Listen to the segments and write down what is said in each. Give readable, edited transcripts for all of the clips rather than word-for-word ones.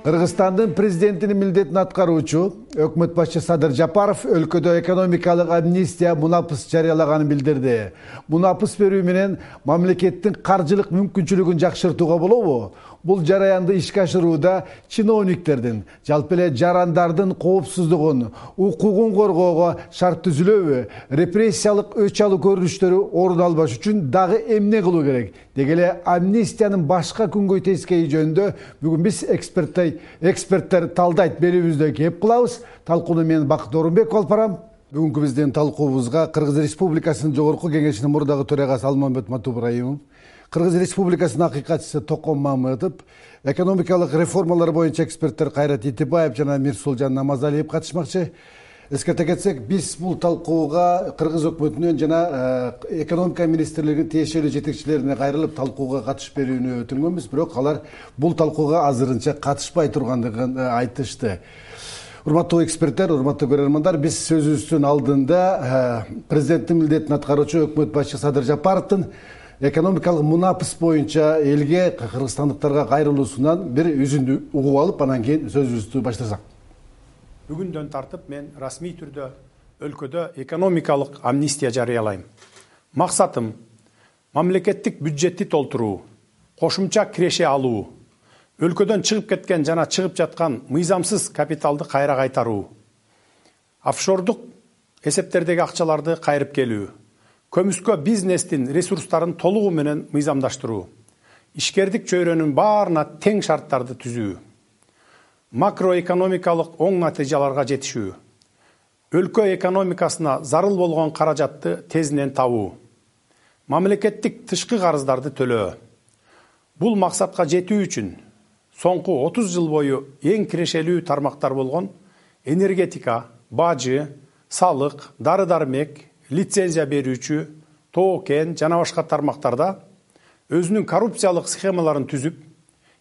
Кыргызстандын президентинин милдетин аткаруучу өкмөт башчы Садыр Жапаров өлкөдө экономикалык амнистия мунапыс жарыялаганын билдирди. Мунапыс берүү менен мамлекеттин каржылык мүмкүнчүлүгүн жакшыртууга болобу? Бул жараянды ишке ашырууда чиновниктердин, жалпы эле жарандардын коопсуздугун, укугун коргоого шарт түзүлөбү, репрессиялык өч алуу көрүнүштөрү орун албаш үчүн дагы эмне кылуу керек? Деги эле амнистиянын башка күнгөй тескейи жөнүндө бүгүн биз эксперттер талдайт берүүбүздө кеп кылабыз. Талкууну мен Бакыт Орунбеков алып барам. Бүгүнкү биздин талкуубузга Кыргыз Республикасынын жогорку кеңешинин мурдагы төрагасы Алмамбет Матубраимов, Кыргыз Республикасынын акыйкатчысы Токон Мамытов, экономикалык реформалар боюнча эксперттер Кайрат Итибаев жана Мирсулжан Намазалиев катышмакчы. Эскерте кетсек, биз бул талкууга Кыргыз өкмөтүнөн жана экономика министрлигинин тиешелүү жетекчилерине кайрылып талкууга катышып берүүнү өтүнгөнбүз, бирок алар бул талкууга азырынча катышпай тургандыгын айтышты. Урматтуу эксперттер, урматтуу көрөрмандар, биз сөзүбүздүн алдында президенттин милдетин аткаруучу өкмөт башчы Садыр Жапаровдун экономикалык мунапыс боюнча элге, кыргызстандыктарга кайрылуусунан бир үзүндү угуп алып, анан кийин сөзүбүздү баштасак. Бүгүндөн тартып мен расмий түрдө өлкөдө экономикалык амнистия жарыялайм. Максатым мамлекеттик бюджетти толтуруу, кошумча киреше алуу, өлкөдөн чыгып кеткен жана чыгып жаткан мыйзамсыз капиталды кайра кайтаруу, офшордук эсептердеги акчаларды кайрып келүү, көмүскө бизнестин ресурстарын толугу менен мыйзамдаштыруу, ишкердик чөйрөнүн баарына тең шарттарды түзүү, макроэкономикалык оң натыйжаларга жетишүү, өлкө экономикасына зарыл болгон каражатты тезинен табуу, мамлекеттик тышкы карыздарды төлөө. Бул максатка жетүү үчүн соңку 30 жыл бою эң кирешелүү тармактар болгон энергетика, бажы, салык, дары-дармек, лицензия берүүчү, тоо-кен жана башка тармактарда өзүнүн коррупциялык схемаларын түзүп,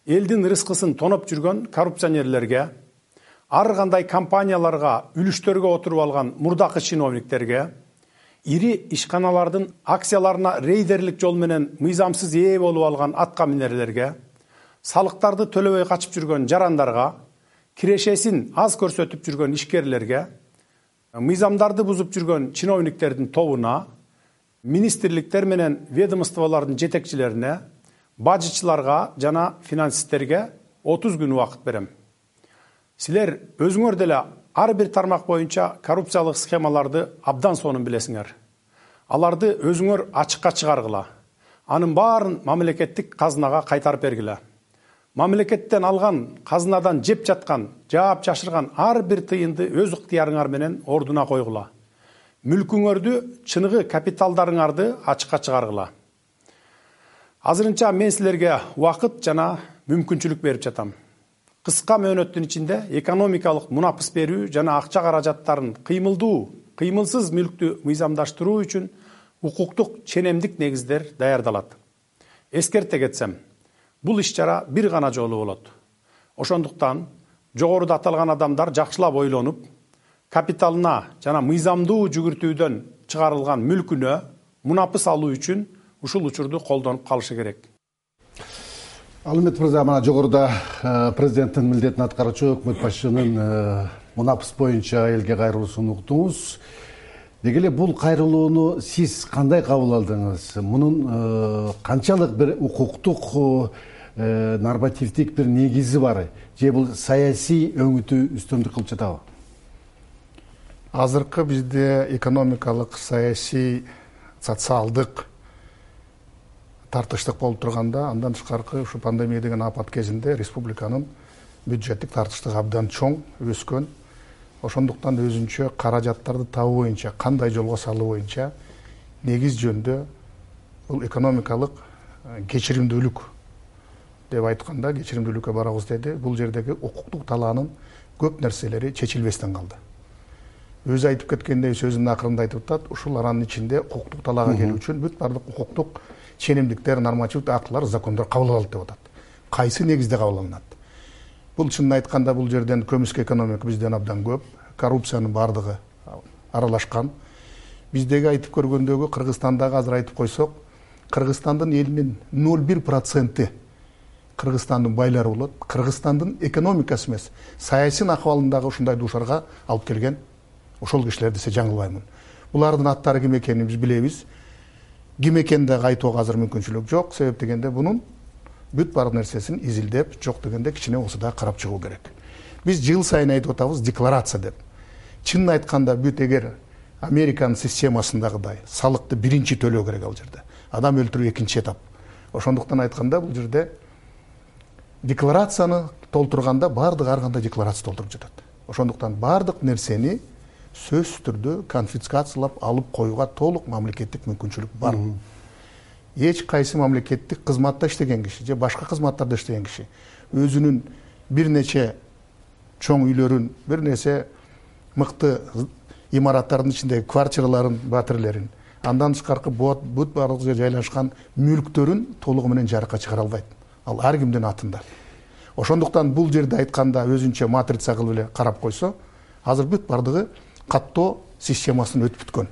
элдин рызкысын тоноп жүргөн коррупционерлерге, ар кандай компанияларга үлүштөргө отуруп алган мурдакы чиновниктерге, ири ишканалардын акцияларына рейдерлик жол менен мыйзамсыз ээ болуп алган атка минерлерге, салыктарды төлөбөй качып жүргөн жарандарга, кирешесин аз көрсөтүп жүргөн ишкерлерге, мыйзамдарды бузуп жүргөн чиновниктердин тобуна, министрликтер менен ведомстволордун жетекчилерине, бажычыларга жана финансисттерге 30 күн убакыт берем. Силер өзүңөр деле ар бир тармак боюнча коррупциялык схемаларды абдан сонун билесиңер. Аларды өзүңөр ачыкка чыгаргыла. Анын баарын мамлекеттик казынага кайтарып бергиле. Мамлекеттен алган, казынадан жеп жаткан, жаап жашырган ар бир тыйынды өз ыктыярыңар менен ордуна койгула. Мүлкүңөрдү, чыныгы капиталдарыңарды ачыкка чыгаргыла. Азырынча мен силерге убакыт жана мүмкүнчүлүк берип жатам. Кыска мөөнөттүн ичинде экономикалык мунапыс берүү жана акча каражаттарын кыймылдуу, кыймылсыз мүлктү мыйзамдаштыруу үчүн укуктук ченемдик негиздер даярдалат. Эскерте кетсем, бул иш-чара бир гана жолу болот. Ошондуктан жогоруда аталган адамдар жакшылап ойлонуп, капиталына жана мыйзамдуу жүгүртүүдөн чыгарылган мүлкүнө мунапыс алуу үчүн ушул учурду колдонуп калышы керек. Алмамбет мырза, мына жогоруда президенттин милдетин аткаруучу өкмөт башчынын мунапыс боюнча элге кайрылуусун уктуңуз. Деги эле бул кайрылууну сиз кандай кабыл алдыңыз? Мунун канчалык бир укуктук, нормативдик бир негизи бар? Же бул саясий өңүтү үстөмдүк кылып жатабы? Азыркы бизде экономикалык, саясий, социалдык тартыштык болуп турганда, андан тышкаркы ушу пандемия деген апат кезинде республиканын бюджеттик тартыштыгы абдан чоң өскөн. Ошондуктан өзүнчө каражаттарды табуу боюнча, кандай жолго салуу боюнча негиз жөнүндө бул экономикалык кечиримдүүлүк деп айтканда, кечиримдүүлүккө барабыз деди. Бул жердеги укуктук талаанын көп нерселери чечилбестен калды. Өзү айтып кеткендей, сөзүнүн акырында айтып атат, ушул аранын ичинде укуктук талаага келүү үчүн бүт бардык укуктук ченемдиктер, нормативдик актылар, закондор кабыл алынат деп атат. Кайсы негизде кабыл алынат? Бул чынын айтканда бул жерден көмүскө экономика бизден абдан көп, коррупциянын бардыгы аралашкан. Биздеги айтып көргөндөгү Кыргызстандагы азыр айтып койсок, Кыргызстандын элинин 0,1% Кыргызстандын байлары болот. Кыргызстандын экономикасы эмес, саясий акыбалындагы ушундай дуушарга алып келген ошол кишилер десе жаңылбаймын. Булардын аттары ким экенин биз билебиз. Ким экенин дагы айтууга азыр мүмкүнчүлүк жок. Себеп дегенде бунун бүт бар нерсесин изилдеп, жок дегенде кичине болсо да карап чыгуу керек. Биз жыл сайын айтып атабыз декларация деп. Чынын айтканда бүт эгер Американын системасындагыдай салыкты биринчи төлөө керек ал жерде. Адам өлтүрүү экинчи этап. Ошондуктан айтканда бул жерде декларацияны толтурганда бардык ар кандай декларация толтуруп жатат. Ошондуктан бардык нерсени сөзсүз түрдө конфискациялап алып коюуга толук мамлекеттик мүмкүнчүлүк бар. Эч кайсы мамлекеттик кызматта иштеген киши же башка кызматтарда иштеген киши өзүнүн бир нече чоң үйлөрүн, бир нерсе мыкты имараттардын ичиндеги квартираларын, батирлерин, андан тышкаркы бүт барлык жерге жайлашкан мүлктөрүн толугу менен жарыкка чыгара албайт. Ал ар кимдин атында. Ошондуктан бул жерде айтканда өзүнчө матрица кылып эле карап койсо, азыр бүт бардыгы каттоо системасын өтүп бүткөн.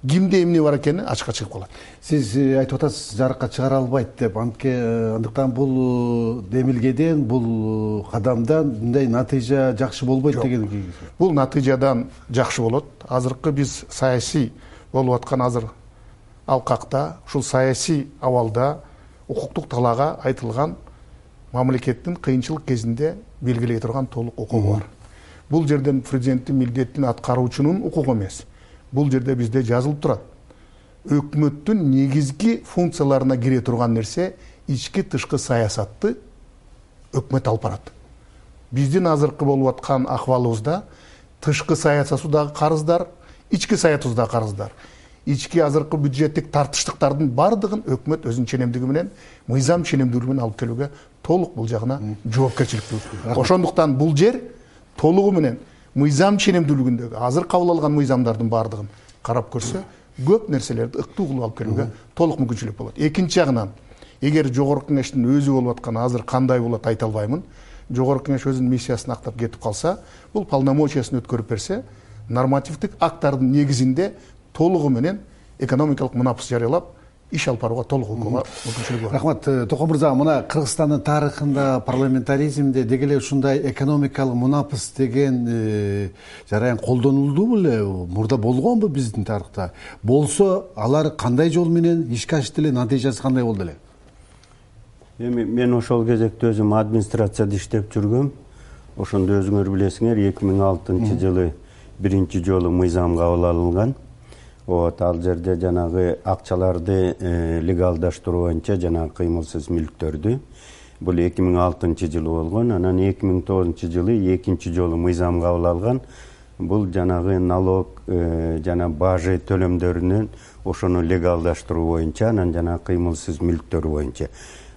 Кимде эмне бар экени ачыкка чыгып калат. Сиз айтып атасыз, жарыкка чыгара албайт деп. Андыктан бул демилгеден, бул кадамдан мындай натыйжа жакшы болбойт деген. Бул натыйжадан жакшы болот. Азыркы биз саясий болуп аткан азыр алкакта, ушул саясий абалда укуктук талаага айтылган мамлекеттин кыйынчылык кезинде белгилей турган толук укугу бар. Бул жерден президенттин милдетин аткаруучунун укугу эмес. Бул жерде бизде жазылып турат. Өкмөттүн негизги функцияларына кире турган нерсе ички тышкы саясатты өкмөт алып барат. Биздин азыркы болуп аткан акыбалыбызда тышкы саясатыбыз дагы карыздар, ички саясатыбыз дагы карыздар. Ички азыркы бюджеттик тартыштыктардын бардыгын өкмөт өзүнүн ченемдиги менен, мыйзам ченемдүүлүгү менен алып келүүгө толук бул жагына жоопкерчиликтүү. Ошондуктан бул жер толугу менен мыйзам ченемдүүлүгүндөгү азыр кабыл алган мыйзамдардын бардыгын карап көрсө, көп нерселерди ыктуу кылып алып келүүгө толук мүмкүнчүлүк болот. Экинчи жагынан, эгер жогорку кеңештин өзү болуп аткан азыр кандай болот айта албаймын. Жогорку кеңеш өзүнүн миссиясын актап кетип калса, бул полномочиясын өткөрүп берсе, нормативдик акттардын негизинде толугу менен экономикалык мунапыс жарыялап, иш алып барууга толук мүмкүнчүлүгү бар. Рахмат, Токон мырза, мына Кыргызстандын тарыхында парламентаризмде деги эле ушундай экономикалык мунапыс деген жараян колдонулду беле? Мурда болгонбу биздин тарыхта? Болсо, алар кандай жол менен ишке ашты эле, натыйжасы кандай болду эле? Эми мен ошол кезекте өзүм администрацияда иштеп жүргөм. Ошондо өзүңөр билесиңер, 2006 жылы биринчи жолу мыйзам кабыл алынган. Ал жерде жанагы акчаларды легалдаштыруу боюнча жанагы кыймылсыз мүлктөрдү. Бул 2006 жылы болгон. Анан 2009 жылы экинчи жолу мыйзам кабыл алган. Бул жанагы налог жана бажы төлөмдөрүнүн ошону легалдаштыруу боюнча, анан жанагы кыймылсыз мүлктөр боюнча.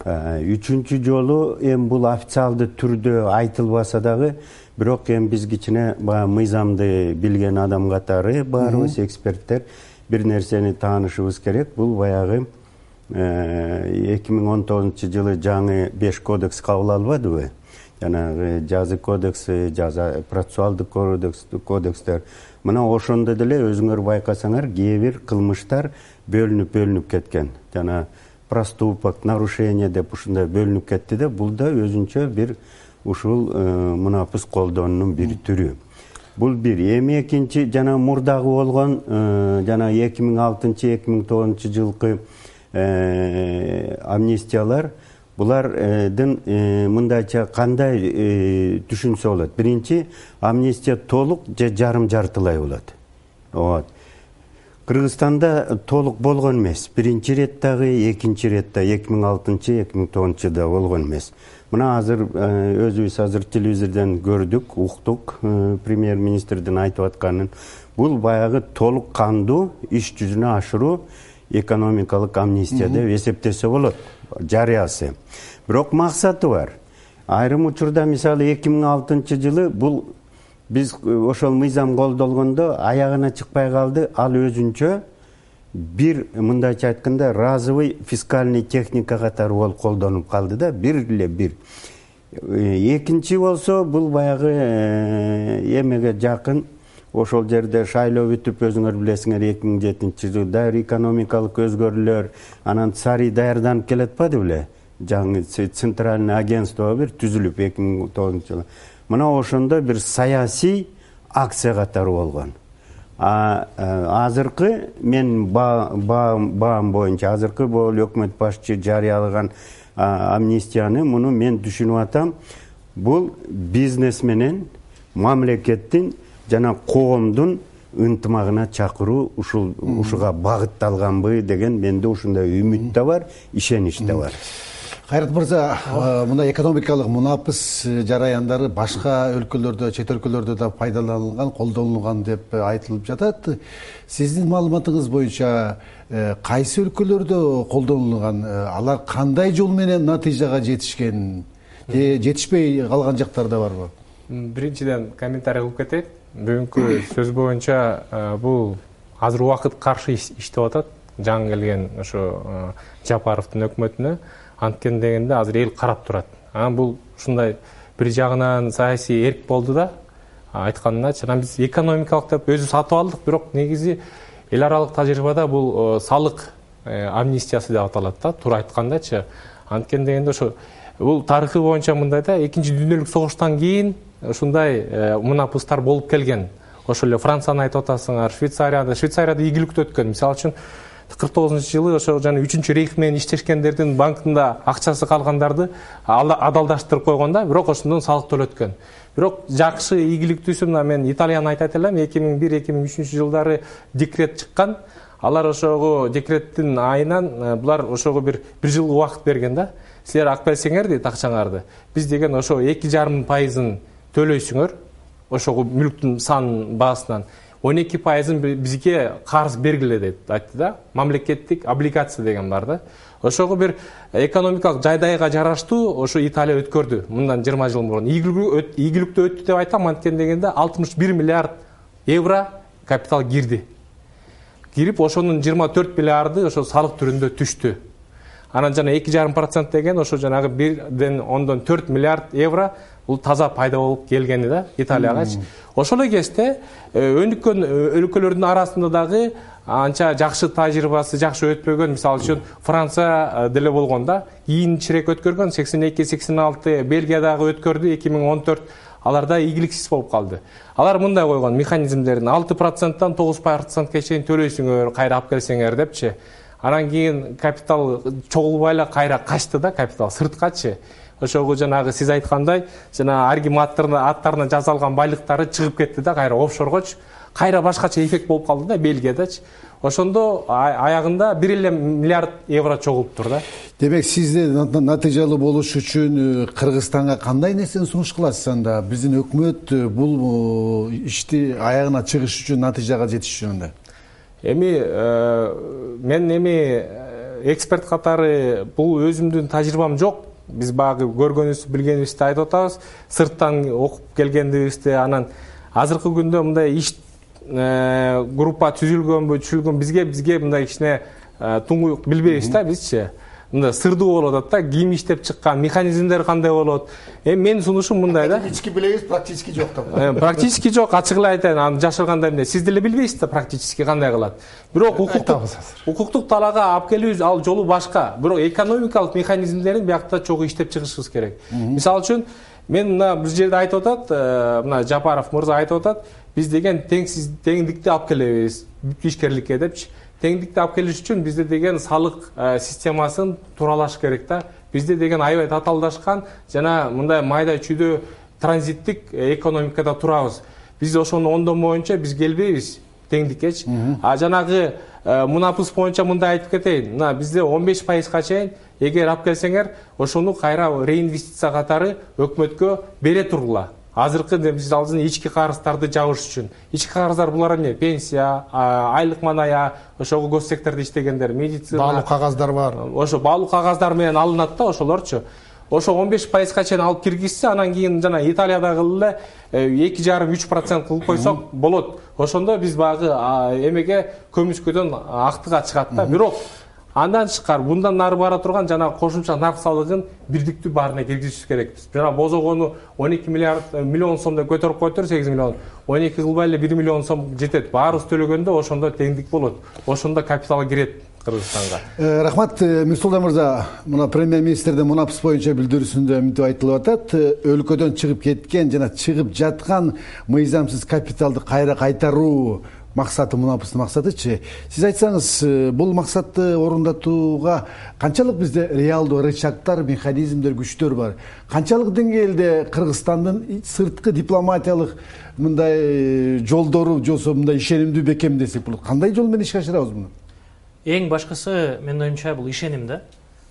Үчүнчү жолу бул официалдуу түрдө айтылбаса дагы, бирок биз кичине мыйзамды билген адам катары баарыбыз эксперттер бир нерсени таанышыбыз керек. Бул баягы 2019 жылы жаңы 5 кодекс кабыл албадыбы? Жанагы жазы кодекси, жаза процессуалдык кодекстер. Мына ошондо деле өзүңөр байкасаңар, кээ бир кылмыштар бөлүнүп кеткен. Жана проступок, нарушение деп ушундай бөлүнүп кетти да, бул да өзүнчө бир ушул мунапыс колдонуунун бир түрү. Бул бир. Эми экинчи жана мурдагы болгон жана 2006-2009 жылкы амнистиялар, булардын мындайча кандай түшүнсө болот? Биринчи, амнистия толук же жарым-жартылай болот. Кыргызстанда толук болгон эмес. Биринчи рет дагы, экинчи рет да 2006-2009 жылда болгон эмес. Мына азыр өзүбүз азыр телевизордон көрдүк, уктук премьер-министрдин айтып атканын. Бул баягы толук кандуу иш жүзүнө ашыруу экономикалык амнистия деп эсептесе болот, жарыясы. Бирок максаты бар. Айрым учурда мисалы 2006 жылы бул биз ошол мыйзам колдолгондо аягына чыкпай калды. Ал өзүнчө бир, мындайча айтканда, разовый фискальный техника катары болуп колдонуп калды да, бир. Экинчи болсо, бул баягы эмеге жакын, ошол жерде шайлоо бүтүп, өзүңөр билесиңер, 2007 жылда экономикалык өзгөрүүлөр, анан царий даярданып келатпады беле? жаңы центральный агентство бир түзүлүп 2009-жылы. Мына ошондо бир саясий акция катары болгон. Азыркы мен баам боюнча азыркы бул өкмөт башчы жарыялаган амнистияны муну мен түшүнүп атам. Бул бизнес менен мамлекеттин жана коомдун ынтымагына чакыруу ушуга багытталганбы деген менде ушундай үмүт да бар, ишенич да бар. Кайрат мырза, мына экономикалык мунапыс жараяндары башка өлкөлөрдө, чет өлкөлөрдө да пайдаланылган, колдонулган деп айтылып жатат. Сиздин маалыматыңыз боюнча кайсы өлкөлөрдө колдонулган, алар кандай жол менен натыйжага жетишкен, жетишпей калган жактар да барбы? Биринчиден комментарий кылып кетейин. Бүгүнкү сөз боюнча бул азыр убакыт каршы иштеп атат жаңы келген ошо Жапаровдун өкмөтүнө. Анткени дегенде азыр эл карап турат. Бул ушундай бир жагынан саясий эрк болду да, айтканымча биз экономикалык деп өзү сатып алдык, бирок негизи эл аралык тажрыйбада бул салык амнистиясы деп аталат да, туура айткандачы. Анткени дегенде ошо бул тарыхы боюнча мындай да, Экинчи дүйнөлүк согуштан кийин ушундай мунапыстар болуп келген. Ошол эле Францияны айтып атасыңар, Швейцарияда ийгиликтүү өткөн. Мисалы үчүн 49-жылы ошо жана 3-чү рейх менен иштешкендердин банкында акчасы калгандарды адалдаштырып койгон да, бирок ошондон салык төлөткөн. Бирок жакшы ийгиликтүүсү мына мен Италияны айтат элем, 2001-2003 жылдары декрет чыккан. Алар ошого декреттин айынан булар ошого бир жыл убакыт берген да. Силер ак берсеңер дейт акчаңарды. Биз деген ошо 2,5% төлөйсүңөр, ошого мүлктүн сан баасынан 12% бизге карыз бергиле деп айтты да. Мамлекеттик облигация деген бар да. Ошого бир экономикалык жайдайга жараштуу ошо Италия өткөрдү мындан 20 жыл мурун. Ийгиликтүү өттү деп айтам, анткени дегенде 61 миллиард евро капитал кирди. Кирип ошонун 24 миллиарды ошо салык түрүндө түштү. Анан жана 2,5% деген ошо жанагы 1,4 миллиард евро бул таза пайда болуп келгени да Италиягачы. Ошол кезде өнүккөн өлкөлөрдүн арасында дагы анча жакшы тажрыйбасы жакшы өтпөгөн, мисалы үчүн Франция деле болгон да, кийинчерээк өткөргөн, 82-86 Бельгия дагы өткөрдү, 2014 аларда ийгиликсиз болуп калды. Алар мындай койгон механизмдерин 6%-тан 9%-ка чейин төлөйсүңөр, кайра алып келсеңер депчи. Анан кийин капитал чогулбай эле кайра качты да, капитал сырткачы. Ошого жанагы сиз айткандай, жана ар ким аттарына жазалган байлыктары чыгып кетти да, кайра офшоргочу. Кайра башкача эффект болуп калды да Бельгиядачы. Ошондо аягында 1 миллиард евро чогулуптур да. Демек сизде натыйжалуу болуш үчүн Кыргызстанга кандай нерсени сунуш кыласыз анда? Биздин өкмөт бул ишти аягына чыгыш үчүн, натыйжага жетиш үчүн анда? Мен эксперт катары бул өзүмдүн тажрыйбам жок. Биз багы көргөнүбүздү, билгенибизди айтып атабыз. Сырттан окуп келгендибизди, анан азыркы күндө мындай иш группа түзүлгөнбү, бизге мындай кичине туңгуюк билбейбиз да бизчи. Мындай сырдуу болуп атат да, ким иштеп чыккан, механизмдер кандай болот. Менин сунушум мындай да. Практически билебиз, практически жок да. Практически жок, ачык эле айтайын, аны жашыргандай эмне. Сиз деле билбейсиз да практически кандай кылат. Бирок укуктук талаага алып келүүбүз ал жолу башка. Бирок экономикалык механизмдерин биякта чогуу иштеп чыгышыбыз керек. Мисалы үчүн мен мына бир жерде айтып атат, мына Жапаров мырза айтып атат, биз деген теңдикти алып келебиз ишкерликке депчи. Теңдикти алып келиш үчүн бизде деген салык системасын туралаш керек да. Бизде деген аябай татаалдашкан жана мындай майда чүйдө транзиттик экономикада турабыз. Биз ошону ондон боюнча биз келбейбиз теңдиккечи. Жанагы мунапыс боюнча мындай айтып кетейин. Мына бизде 15%га чейин эгер алып келсеңер, ошону кайра реинвестиция катары өкмөткө бере тургула. Азыркы биз алдын ички карыздарды жабыш үчүн. Ички карыздар булар эмне? Пенсия, айлык маная, ошого гос сектордо иштегендер, медицина. Баалуу кагаздар бар. Ошо баалуу кагаздар менен алынат да ошолорчу. Ошо 15%га чейин алып киргизсе, анан кийин жана Италиядагы эле 2,5-3% кылып койсок болот. Ошондо биз багы эмеге көмүскөдөн актыга чыгат да. Бирок андан тышкары мындан нары бара турган жана кошумча нарк салыгын бирдиктүү баарына киргизиш керекпиз. Жана бозогону 12 миллион сомдо көтөрүп койтур, 8 миллион. 12 кылбай эле 1 миллион сом жетет. Баарыбыз төлөгөндө ошондо теңдик болот. Ошондо капитал кирет. Кыргызстанга. Рахмат Мирсултан мырза, мына премьер-министрдин мунапыс боюнча билдирүүсүндө мынтип айтылып атат: өлкөдөн чыгып кеткен жана чыгып жаткан мыйзамсыз капиталды кайра кайтаруу максаты, мунапыстын максатычы. Сиз айтсаңыз, бул максатты орундатууга канчалык бизде реалдуу рычагдар, механизмдер, күчтөр бар? Канчалык деңгээлде Кыргызстандын сырткы дипломатиялык мындай жолдору жосо мындай ишенимдүү бекем десек болот? Кандай жол менен ишке ашырабыз муну? Эң башкысы, менин оюмча, бул ишеним да.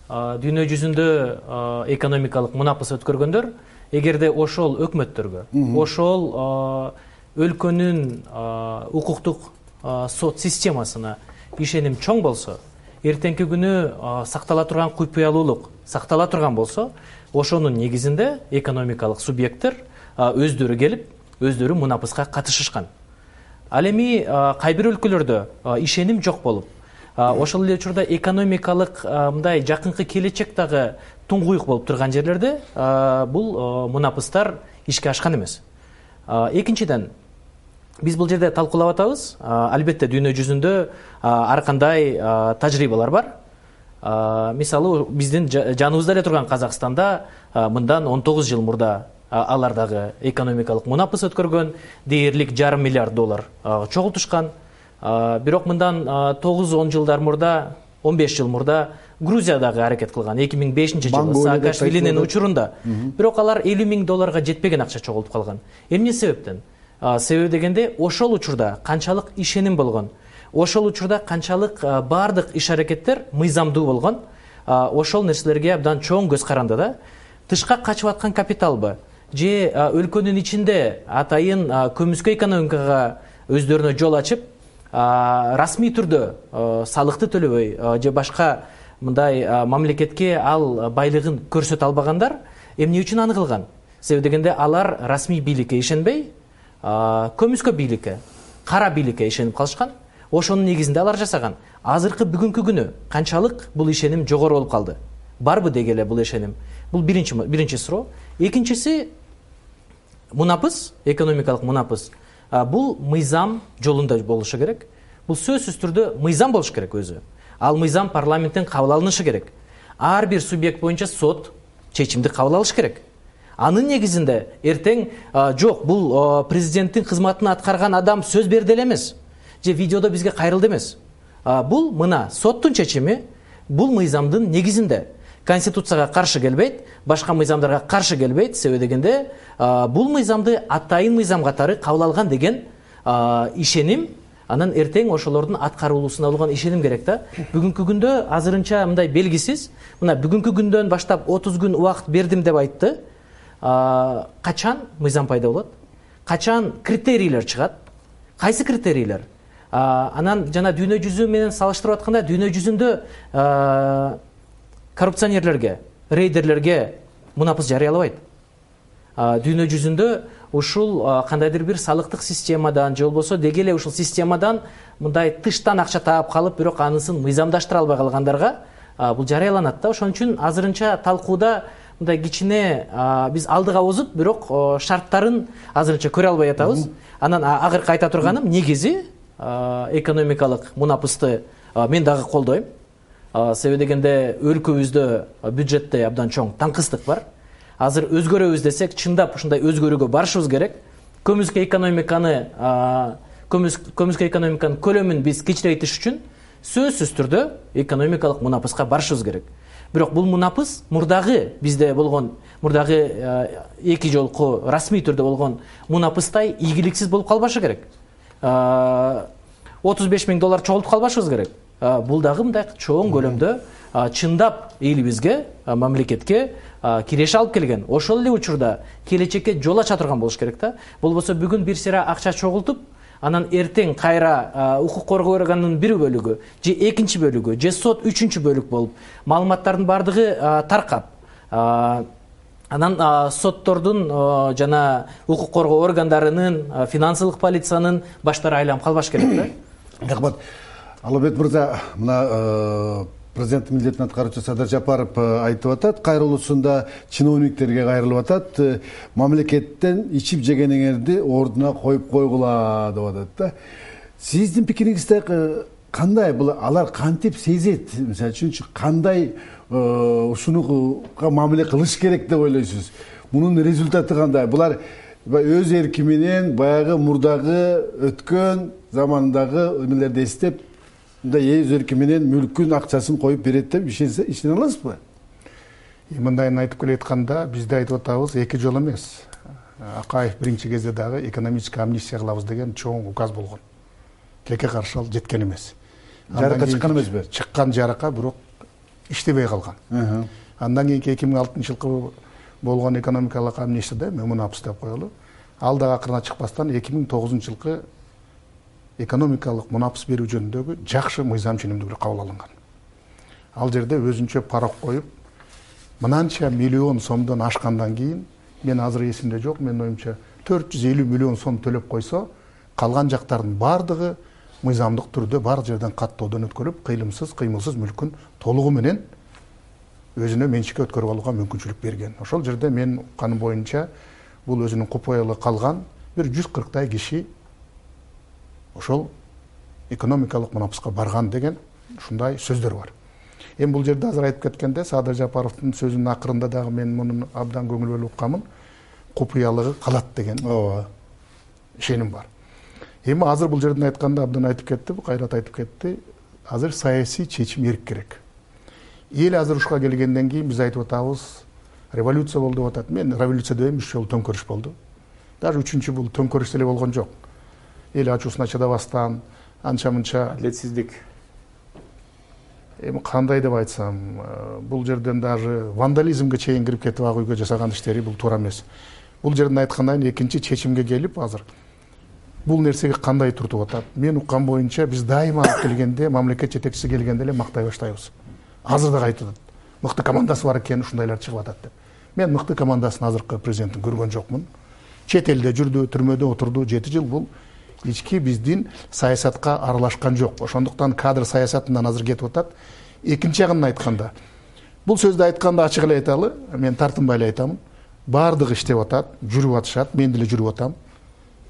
Дүйнө жүзүндө экономикалык мунапыс өткөргөндөр, эгерде ошол өкмөттөргө, ошол өлкөнүн укуктук сот системасына ишеним чоң болсо, эртеңки күнү сактала турган куйпуялуулук сактала турган болсо, ошонун негизинде экономикалык субъекттер өздөрү келип, өздөрү мунапыска катышышкан. Ал эми кай бир өлкөлөрдө ишеним жок болуп, ошол эле учурда экономикалык мындай жакынкы келечектагы туңгуюк болуп турган жерлерде бул мунапыстар ишке ашкан эмес. Экинчиден, биз бул жерде талкуулап атабыз. Албетте дүйнө жүзүндө ар кандай тажрыйбалар бар. Мисалы, биздин жаныбызда эле турган Казакстанда мындан 19 жыл мурда алар дагы экономикалык мунапыс өткөргөн, дээрлик $500 миллиард чогултушкан. Бирок мындан 9-10 жылдар мурда, 15 жыл мурда Грузия дагы аракет кылган. 2005 жылы Саакашвилинин учурунда. Бирок алар $50 000 жетпеген акча чогултуп калган. Эмне себептен? Себеби дегенде, ошол учурда канчалык ишеним болгон, ошол учурда канчалык бардык иш-аракеттер мыйзамдуу болгон, ошол нерселерге абдан чоң көз каранды да. Тышка качып аткан капиталбы же өлкөнүн ичинде атайын көмүскө экономикага өздөрүнө жол ачып, расмий түрдө салыкты төлөбөй же башка мындай мамлекетке ал байлыгын көрсөтө албагандар эмне үчүн аны кылган? Себеби дегенде, алар расмий бийликке ишенбей, көмүскө бийликке, кара бийликке ишенип калышкан. Ошонун негизинде алар жасаган. Азыркы бүгүнкү күнү канчалык бул ишеним жогору болуп калды? Барбы дегеле бул ишеним? Бул биринчи суроо. Экинчиси, мунапыс, экономикалык мунапыс. Бул мыйзам жолунда болушу керек. Бул сөзсүз түрдө мыйзам болуш керек өзү. Ал мыйзам парламенттен кабыл алынышы керек. Ар бир субъект боюнча сот чечимди кабыл алыш керек. Анын негизинде эртең жок, бул президенттин кызматын аткарган адам сөз берди эле эмес, же видеодо бизге кайрылды эмес. Бул мына соттун чечими, бул мыйзамдын негизинде. Конституцияга каршы келбейт, башка мыйзамдарга каршы келбейт. Себеби дегенде, бул мыйзамды атайын мыйзам катары кабыл алган деген ишеним, анан эртең ошолордун аткарылуусуна болгон ишеним керек да. Бүгүнкү күндө азырынча мындай белгисиз. Мына бүгүнкү күндөн баштап 30 күн убакыт бердим деп айтты. Качан мыйзам пайда болот? Качан критерийлер чыгат? Кайсы критерийлер? Анан жана дүйнө жүзү менен салыштырып атканда, дүйнө жүзүндө коррупционерлерге, рейдерлерге мунапыс жарыялабайт. Дүйнө жүзүндө ушул кандайдыр бир салыктык системадан же болбосо деги эле ушул системадан мындай тыштан акча таап калып, бирок анысын мыйзамдаштыра албай калгандарга бул жарыяланат да. Ошон үчүн азырынча талкууда мындай кичине биз алдыга озуп, бирок шарттарын азырынча көрө албай атабыз. Анан акыркы айта турганым, негизи экономикалык мунапысты мен дагы колдойм. Себеби дегенде, өлкөбүздө бюджетте абдан чоң таңкыстык бар. Азыр өзгөрөбүз десек, чындап ушундай өзгөрүүгө барышыбыз керек. Көмүскө экономиканын көлөмүн биз кичирейтиш үчүн сөзсүз түрдө экономикалык мунапыска барышыбыз керек. Бирок бул мунапыс мурдагы бизде болгон, мурдагы 2 жолку расмий түрдө болгон мунапыстай ийгиликсиз болуп калбашы керек. $35 000 чогултуп калбашыбыз керек. Бул дагы мындай чоң көлөмдө чындап элибизге, мамлекетке киреше алып келген. Ошол эле учурда келечекке жол ача турган болуш керек да. Болбосо бүгүн бир сыйра акча чогултуп, анан эртең кайра укук коргоо органынын бир бөлүгү, же экинчи бөлүгү, же сот үчүнчү бөлүк болуп, маалыматтардын бардыгы таркап, анан соттордун жана укук коргоо органдарынын, финансылык полициянын баштары айланып калбаш керек да. Рахмат. Алыбек мырза, мына президенттин милдетин аткаруучу Садыр Жапаров айтып атат, кайрылуусунда чиновниктерге кайрылып атат, мамлекеттен ичип жегениңерди ордуна коюп койгула деп атат да. Сиздин пикириңизде кандай бул алар кантип сезет, мисалы үчүн кандай ушунуга мамиле кылыш керек деп ойлойсуз? Мунун результаты кандай? Булар өз эрки менен баягы мурдагы өткөн замандагы эмелерди эстеп, мындай өз эрки менен мүлкүн акчасын коюп берет деп ишене аласызбы? Мындайын айтып келе атканда бизде айтып атабыз, эки жол эмес. Акаев биринчи кезде дагы экономический амнистия кылабыз деген чоң указ болгон. Тилекке каршы ал жеткен эмес. Жарыкка чыккан эмеспи? Чыккан жарыкка, бирок иштебей калган. Андан кийинки 2006 жылкы болгон экономикалык амнистияда мунапыс деп коелу. Ал дагы акырына чыкпастан 2009 жылкы экономикалык мунапыс берүү жөнүндөгү жакшы мыйзам ченемдүүлүк кабыл алынган. Ал жерде өзүнчө парок коюп, мынанча миллион сомдон ашкандан кийин, мен азыр эсимде жок, менин оюмча 450 миллион сом төлөп койсо, калган жактардын бардыгы мыйзамдык түрдө бар жерден каттоодон өткөрүп, кыймылсыз мүлкүн толугу менен өзүнө менчикке өткөрүп алууга мүмкүнчүлүк берген. Ошол жерде мен укканым боюнча бул өзүнүн купуялы калган бир 140 киши ошол экономикалык мунапыска барган деген ушундай сөздөр бар. Эми бул жерде азыр айтып кеткенде Садыр Жапаровдун сөзүнүн акырында дагы мен мунун абдан көңүл бөлүп уккамын. Купуялыгы калат деген ишеним бар. Эми азыр бул жерден айтканда абдан айтып кетти, кайрат айтып кетти. Азыр саясий чечим эрк керек. Эл азыр ушуга келгенден кийин биз айтып атабыз, революция болду деп атат. Мен революция дебейм, 3 жолу төңкөрүш болду. Даже 3-чү бул төңкөрүш деле болгон жок. Эл ачуусуна чыдабастан, анча-мынча адилетсиздик. Эми кандай деп айтсам, бул жерден даже вандализмге чейин кирип кетип ак үйгө жасаган иштери бул туура эмес. Бул жерден айткандан кийин экинчи чечимге келип азыр бул нерсеге кандай туртуп атат? Мен уккан боюнча биз дайыма алып келгенде, мамлекет жетекчиси келгенде эле мактай баштайбыз. Азыр да айтып атат. Мыкты командасы бар экен, ушундайлар чыгып атат деп. Мен мыкты командасын азыркы президенттин көргөн жокмун. Чет элде жүрдү, түрмөдө отурду 7 жыл. Бул ички биздин саясатка аралашкан жок. Ошондуктан кадр саясатынан азыр кетип атат. Экинчи жагын айтканда, бул сөздү айтканда ачык эле айталы, мен тартынбай эле айтамын. Бардыгы иштеп атат, жүрүп атышат, мен деле жүрүп атам.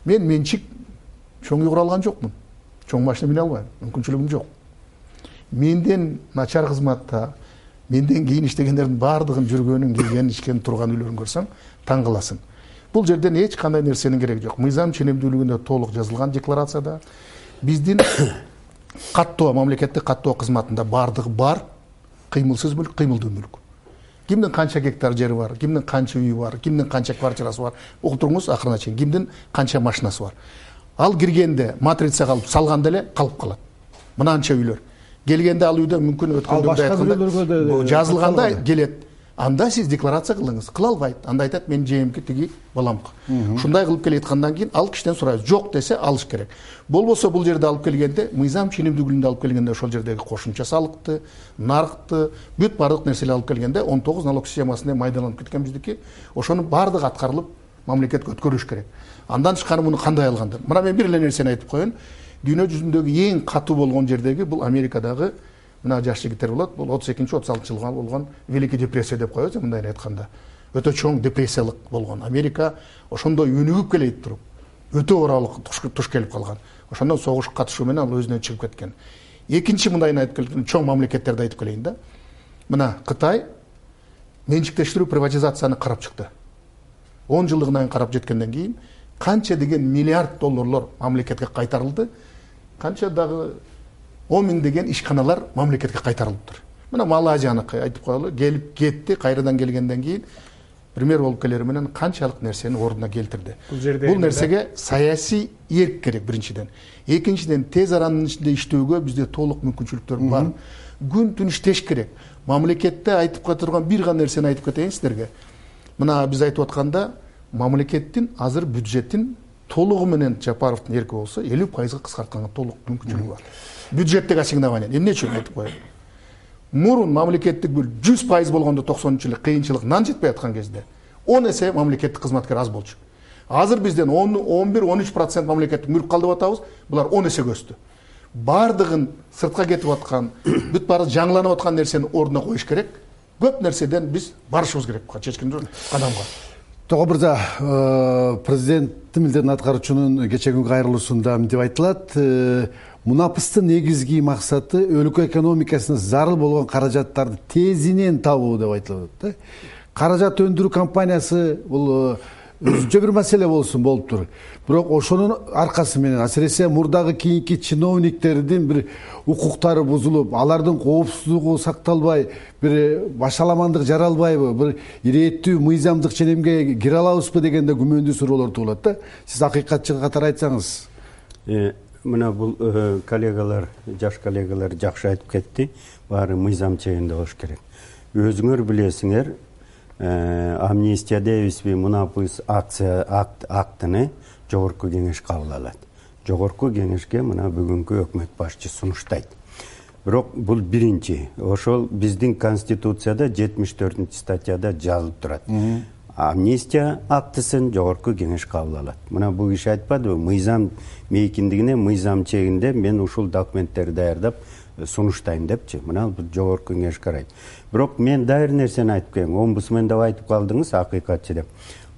Мен менчик чоң үй кура алган жокмун. Чоң машина мине албайм, мүмкүнчүлүгүм жок. Менден начар кызматта, менден кийин иштегендердин бардыгын жүргөнүн, келгенин, ишкен, турган үйлөрүн көрсөң, таң каласың. Бул жерден эч кандай нерсенин кереги жок. Мыйзам ченемдүүлүгүндө толук жазылган декларацияда биздин каттоо, мамлекеттик каттоо кызматында бардыгы бар, кыймылсыз мүлк, кыймылдуу мүлк. Кимдин канча гектар жери бар, кимдин канча үйү бар, кимдин канча квартирасы бар, угуп туруңуз акырына чейин, кимдин канча машинасы бар. Ал киргенде матрица калып, салганда эле калып калат. Мынанча үйлөр. Келгенде ал үйдө мүмкүн өткөндө жазылганда келет. Анда сиз декларация кылыңыз, кыла албайт. Анда айтат, мен жеемки тиги баламкы. Ушундай кылып келеткандан кийин ал кишиден сурайбыз. Жок десе алыш керек. Болбосо бул жерде алып келгенде, мыйзам ченемдүүлүгүндө алып келгенде ошол жердеги кошумча салыкты, нарыкты, бүт бардык нерселерди алып келгенде 19 налог системасында майдаланып кеткен биздики. Ошонун бардыгы аткарылып, мамлекетке өткөрүш керек. Андан тышкары муну кандай алгандар? Мына мен бир эле нерсени айтып коеюн. Дүйнө жүзүндөгү эң катуу болгон жердеги бул Америкадагы мына жаш жигиттер болот. Бул 32-36 жылга болгон Великий депрессия деп коебуз, мындай айтканда. Өтө чоң депрессиялык болгон. Америка ошондой өнүгүп келет туруп, өтө ооралык туш келип калган. Ошондон согуш катышуу менен ал өзүнөн чыгып кеткен. Экинчи мындайын айтып келген чоң мамлекеттерди айтып келейин да. Мына Кытай менчиктештирүү, приватизацияны карап чыкты. 10 жылдыгынан карап жеткенден кийин канча деген миллиард долларлар мамлекетке кайтарылды. Канча дагы 10 миң деген ишканалар мамлекетке кайтарылыптыр. Мына Малайзияныкы айтып коелу, келип кетти, кайрадан келгенден кийин пример болуп келери менен канчалык нерсени ордуна келтирди. Бул нерсеге саясий эрк керек биринчиден. Экинчиден тез аранын ичинде иштөөгө бизде толук мүмкүнчүлүктөр бар. Күн түн иштеш керек. Мамлекетте айтып турган бир гана нерсени айтып кетейин сиздерге. Мына биз айтып атканда мамлекеттин азыр бюджетин толугу менен Жапаровдун эрки болсо 50% кыскартканга толук мүмкүнчүлүгү бар. Бюджеттик ассигнование. Эмне үчүн айтып коеюн? Мурун мамлекеттик бул 100% болгондо 90-жылы кыйынчылык нан жетпей аткан кезде 10 эсе мамлекеттик кызматкер аз болчу. Азыр бизден 11-13% мамлекеттик мүлк калды деп атабыз. Булар 10 эсеге өстү. Бардыгын сыртка кетип аткан, бүт баары жаңыланып аткан нерсени ордуна коюш керек. Көп нерседен биз барышыбыз керек чечкен кадамга. Тога мырза, президенттин милдетин аткаруучунун кечээ күнгү кайрылуусунда мынтип айтылат. мунапыстын негизги максаты өлкө экономикасына зарыл болгон каражаттарды тезинен табуу деп айтылып атат да. Каражат өндүрүү компаниясы бул өзүнчө бир маселе болуптур. Бирок ошонун аркасы менен асиресе мурдагы кийинки чиновниктердин бир укуктары бузулуп, алардын коопсуздугу сакталбай, бир башаламандык жаралбайбы, бир ирээттүү мыйзамдык ченемге кире алабызбы дегенде күмөндүү суроолор туулат да. Сиз акыйкатчы катары айтсаңыз. Мына бул коллегалар, жаш коллегалар жакшы айтып кетти. Баары мыйзам чегинде болуш керек. Өзүңөр билесиңер, амнистия дейбизби, мунапыс актыны жогорку кеңеш кабыл алат. Жогорку кеңешке мына бүгүнкү өкмөт башчы сунуштайт. Бирок бул биринчи. Ошол биздин конституцияда 74-статьяда жазылып турат. Амнистия актысын жогорку кеңеш кабыл алат. Мына бул киши айтпадыбы, мыйзам мейкиндигине, мыйзам чегинде мен ушул документтерди даярдап сунуштайм депчи. Мына жогорку кеңеш карайт. Бирок мен да бир нерсени айтып келем. Омбудсмен деп айтып калдыңыз, акыйкатчы деп.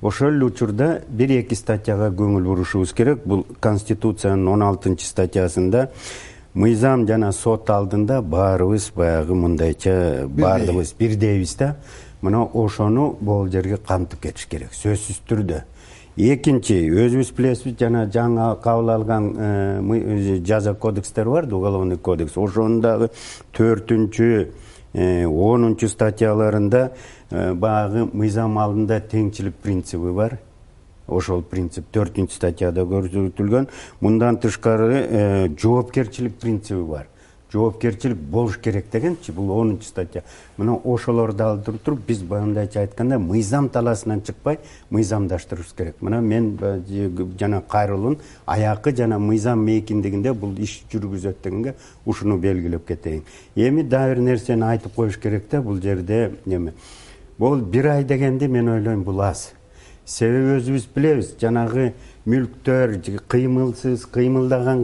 Ошол эле учурда 1-2 статьяга көңүл бурушубуз керек. Бул Конституциянын 16-статьясында мыйзам жана сот алдында баарыбыз баягы мындайча баардыгыбыз бирдейбиз да. Мына ошону бул жерге камтып кетиш керек, сөзсүз түрдө. Экинчи, өзүбүз билесиз, жана жаңы кабыл алган жаза кодекстер бар, уголовный кодекс. Ошонун дагы 4-10 статьяларында баягы мыйзам алдында теңчилик принциби бар. Ошол принцип 4-статьяда көрсөтүлгөн. Мындан тышкары жоопкерчилик принциби бар. Жоопкерчилик болуш керек дегенчи, бул 10-статья. Мына ошолорду алдырып туруп, биз баяндайча айтканда мыйзам таласынан чыкпай, мыйзамдаштырышыбыз керек. Мына мен жана Кайрулун аякы жана мыйзам мейкиндигинде бул иш жүргүзөт дегенге ушуну белгилеп кетейин. Эми дагы бир нерсени айтып коюш керек да, бул жерде неме. Бул 1 ай дегенди мен ойлойм бул аз. Себеби өзүбүз билебиз, жанагы мүлктөр, кыймылсыз, кыймылдаган,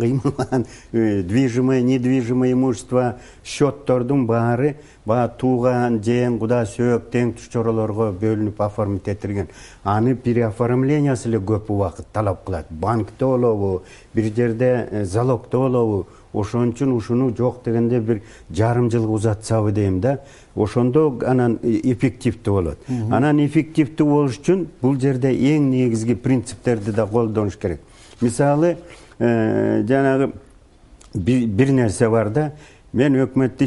движимое, недвижимое имущество, счеттордун баары тууган, жээн, куда, сөөк, тең туш чоролорго бөлүнүп оформить этилген. Аны переоформлениясы эле көп убакыт талап кылат. Банкте болобу, бир жерде залогдо болобу, ошон үчүн ушуну жок дегенде бир жарым жылга узатсабы дейм да. Ошондо анан эффективдүү болот. Анан эффективдүү болуш үчүн бул жерде эң негизги принциптерди да колдонуш керек. Мисалы, жанагы бир нерсе бар да, мен өкмөттө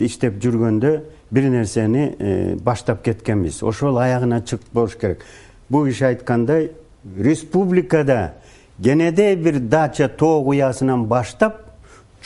иштеп жүргөндө бир нерсени баштап кеткенбиз. Ошол аягына чыгып болуш керек. Бул киши айткандай, республикада кенедей бир дача тоо куясынан баштап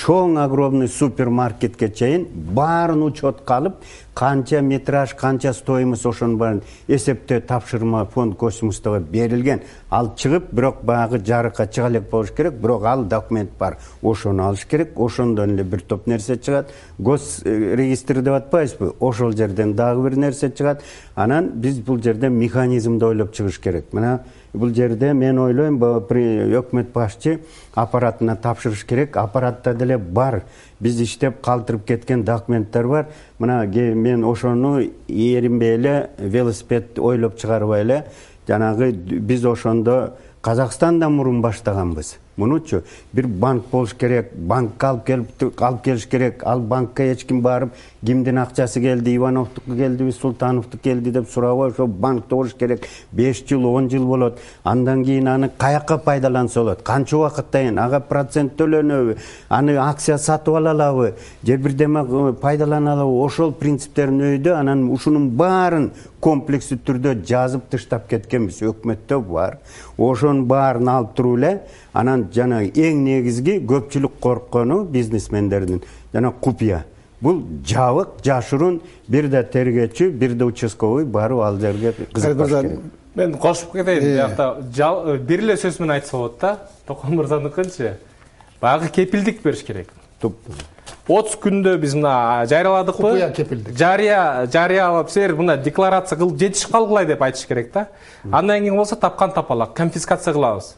чоң огромный супермаркетке чейин баарын учетка алып, канча метраж, канча стоимость ошонун баарын эсептөө тапшырма фонд космостого берилген. Ал чыгып, бирок баягы жарыкка чыга элек болуш керек, бирок ал документ бар. Ошону алыш керек, ошондон эле бир топ нерсе чыгат. Гос регистр деп атпайбызбы? Ошол жерден дагы бир нерсе чыгат. Анан биз бул жерде механизмди ойлоп чыгыш керек. Мына бул жерде мен ойлойм, өкмөт башчы аппаратына тапшырыш керек. Аппаратта деле бар. Биз иштеп калтырып кеткен документтер бар. Мына мен ошону эринбей эле велосипед ойлоп чыгарбай эле, жанагы биз ошондо Казакстанда мурун баштаганбыз. Мунучу бир банк болуш керек, банкка алып келиш керек. Ал банкка эч ким барып, кимдин акчасы келди, Ивановдуку келдиби, Султановдуку келди деп сурабай, ошо банкта болуш керек. 5 жыл, 10 жыл болот. Андан кийин аны каякка пайдаланса болот? Канча убакыттан ага процент төлөнөбү? Аны акция сатып алалабы? Же бирдеме пайдалана алабы? Ошол принциптерин өйдө, анан ушунун баарын комплекстүү түрдө жазып тыштап кеткенбиз. Өкмөттө бар. Ошонун баарын алып туруп эле, анан жана эң негизги көпчүлүк корккону бизнесмендердин жана купуя. Бул жабык, жашыруун, бир да тергөөчү, бир да участковый барып ал жерге кызыкпаш керек. Мен кошуп кетейин. Биякта бир эле сөз менен айтса болот да. Токон мырзаныкынчы. Баягы кепилдик бериш керек. 30 күндө биз мына жарыяладыкпы? Купуя кепилдик. Жарыялап силер мына декларация кылып жетишип калгылай деп айтыш керек да. Андан кийин болсо тапкан тапалак конфискация кылабыз.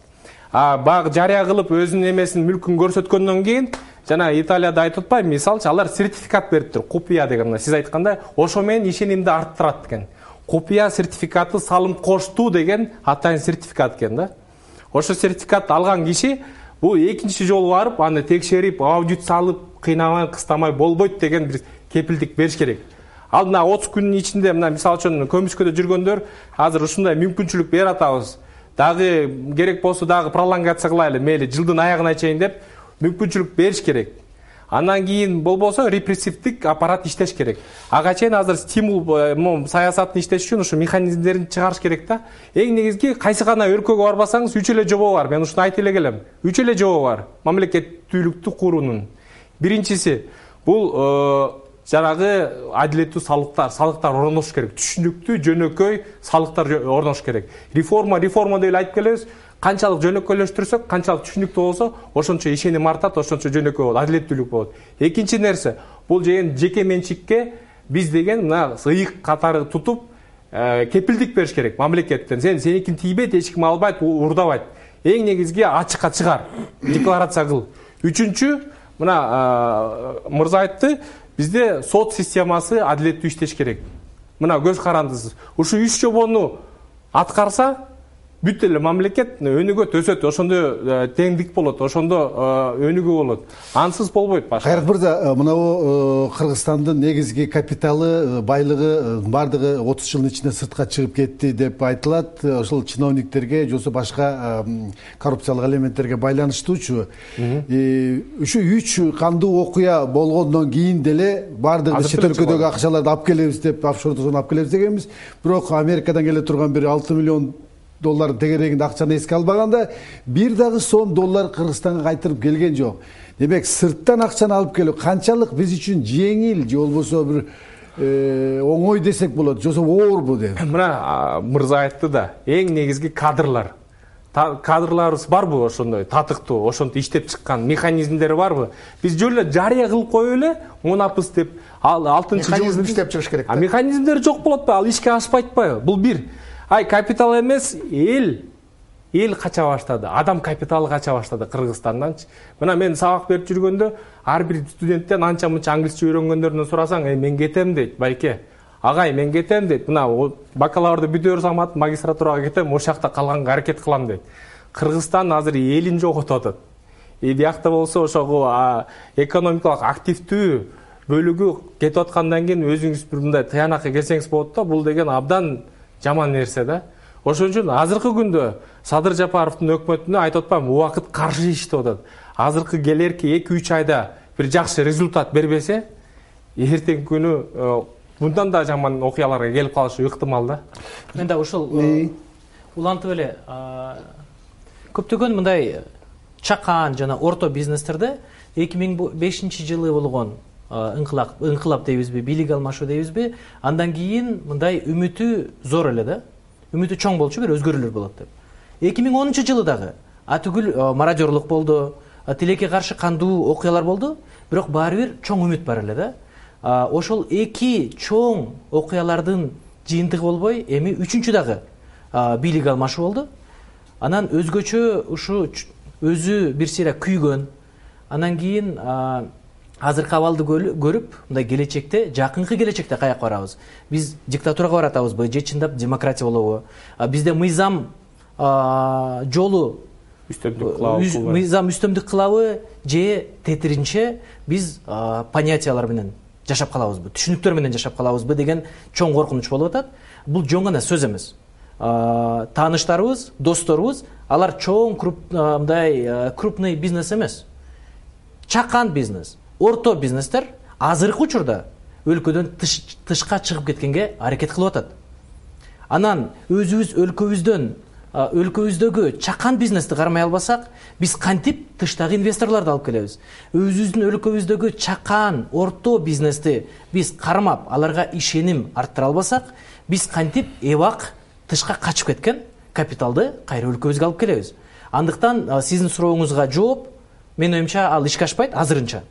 Баягы жарыя кылып өзүнүн эмесин, мүлкүн көрсөткөндөн кийин жана Италияда айтып атпайбы, мисалчы алар сертификат бериптир, купуя деген. Мына сиз айткандай, ошо менен ишенимди арттырат экен. Купуя сертификаты салым коштуу деген атайын сертификат экен да. Ошо сертификат алган киши бул экинчи жолу барып аны текшерип аудит салып кыйнабай кыстамай болбойт деген бир кепилдик бериш керек. Ал мына 30 күнүн ичинде мына мисалы үчүн көмүскөдө жүргөндөр азыр ушундай мүмкүнчүлүк берип атабыз. Дагы керек болсо дагы пролонгация кылайлы, мейли жылдын аягына чейин деп мүмкүнчүлүк бериш керек. Андан кийин болбосо репрессивдик аппарат иштеш керек. Ага чейин азыр стимул саясатын иштеш үчүн ушу механизмдерин чыгарыш керек да. Эң негизги кайсы гана өлкөгө барбасаңыз 3 эле жобо бар. Мен ушуну айтып эле келем. 3 эле жобо бар мамлекеттүүлүктү куруунун. Биринчиси бул жанагы адилеттүү салыктар орнош керек. Түшүнүктүү, жөнөкөй салыктар орнош керек. Реформа деп эле айтып келебиз. Канчалык жөнөкөйлөштүрсөк, канчалык түшүнүктүү болсо, ошончо ишеним артат, ошончо жөнөкөй болот, адилеттүүлүк болот. Экинчи нерсе, бул жеке менчикке биз деген мына ыйык катары тутуп, кепилдик бериш керек мамлекеттен. Сеникин тийбейт, эч ким албайт, урдабайт. Эң негизги ачыкка чыгар, декларация кыл. Үчүнчү, мына мырза айтты, бизде сот системасы адилеттүү иштеш керек. Мына көз карандысыз. Ушу 3 жобону аткарса, бүт эле мамлекет өнүгөт, өсөт, ошондо теңдик болот, ошондо өнүгүү болот. Ансыз болбойт башка. Кайрат мырза, мына Кыргызстандын негизги капиталы, байлыгы бардыгы 30 жылдын ичинде сыртка чыгып кетти деп айтылат. Ошол чиновниктерге, жосо башка коррупциялык элементтерге байланыштуучу. Ушу 3 кандуу окуя болгондон кийин деле бардыгы чет өлкөдөгү акчаларды алып келебиз деп, офшордон алып келебиз дегенбиз. Бирок Америкадан келе турган бир 6 миллион доллар тегерегинде акчаны эске албаганда бир дагы сом доллар Кыргызстанга кайтырып келген жок. Демек сырттан акчаны алып келүү канчалык биз үчүн жеңил же болбосо бир оңой десек болот, жосо оорбу деп. Мына мырза айтты да, эң негизги кадрлар. Кадрларыбыз барбы ошондой татыктуу, ошонтип иштеп чыккан механизмдери барбы? Биз жөн эле жарыя кылып коюп эле мунапыс деп 6-жыл иштеп чыгыш керек. Механизмдери жок болот ба? Ал ишке ашпайт атпайбы? Бул бир. Капитал эмес, эл кача баштады. Адам капиталы кача баштады Кыргызстанданчы. Мына мен сабак берип жүргөндө ар бир студенттен анча-мынча англисче үйрөнгөндөрүнөн сурасаң, мен кетем дейт, байке. Агай, мен кетем дейт. Мына бакалаврды бүтөөр замат магистратурага кетем, ошол жакта калганга аракет кылам дейт. Кыргызстан азыр элин жоготуп атат. Биякта болсо ошого экономикалык активдүү бөлүгү кетип аткандан кийин өзүңүз бир мындай тыянакка келсеңиз болот да, бул деген абдан жаман нерсе да. Ошон үчүн азыркы күндө Садыр Жапаровдун өкмөтүнө айтып атпаймынбы, убакыт каршы иштеп атат. Азыркы келерки 2-3 айда бир жакшы результат бербесе, эртеңки күнү мындан да жаман окуяларга келип калышы ыктымал да. Мен да ушул улантып эле көптөгөн мындай чакан жана орто бизнестерде 2005-жылы болгон ыңкылап дейбизби, бийлик алмашуу дейбизби, андан кийин мындай үмүтү зор эле да. Үмүтү чоң болчу, бир өзгөрүүлөр болот деп. 2010-жылы дагы атүгүл мародёрлук болду, тилекке каршы кандуу окуялар болду, бирок баары бир чоң үмүт бар эле да. Ошол эки чоң окуялардын жыйынтыгы болбой, эми үчүнчү дагы бийлик алмашуу болду. Анан өзгөчө ушу өзү бир сыйра күйгөн. Андан кийин азыркы абалды көрүп, мындай келечекте, жакынкы келечекте каяка барабыз? Биз диктатурага баратабызбы, же чындап демократия болобу? Бизде мыйзам жолу мыйзам үстөмдүк кылабы, же тетиринче биз понятиялар менен жашап калабызбы, түшүнүктөр менен жашап калабызбы деген чоң коркунуч болуп атат. Бул жөн гана сөз эмес. Тааныштарыбыз, досторубуз, алар чоң крупный бизнес эмес. Чакан бизнес, орто бизнестер азыркы учурда өлкөдөн тышка чыгып кеткенге аракет кылып атат. Анан өзүбүз өлкөбүздөгү чакан бизнести кармай албасак, биз кантип тыштагы инвесторлорду алып келебиз? Өзүбүздүн өлкөбүздөгү чакан, орто бизнести биз кармап, аларга ишеним арттыра албасак, биз кантип эбак тышка качып кеткен капиталды кайра өлкөбүзгө алып келебиз? Андыктан сиздин сурооңузга жооп, менин оюмча ал ишке ашпайт азырынча.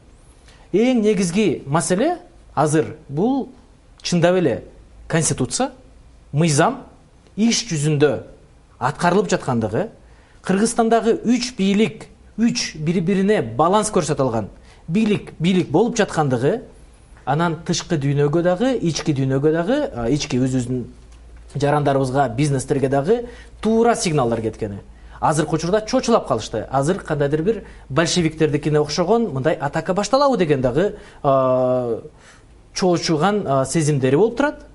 Эң негизги маселе азыр бул чындап эле конституция, мыйзам иш жүзүндө аткарылып жаткандыгы, Кыргызстандагы 3 бийлик, 3 бири-бирине баланс көрсөтө алган бийлик болуп жаткандыгы, анан тышкы дүйнөгө дагы, ички дүйнөгө дагы, ички өзүбүздүн жарандарыбызга, бизнестерге дагы туура сигналдар кеткени. азыркы учурда чочулап калышты. Азыр кандайдыр бир большевиктердикине окшогон мындай атака башталабы деген дагы чоочуган сезимдери болуп турат.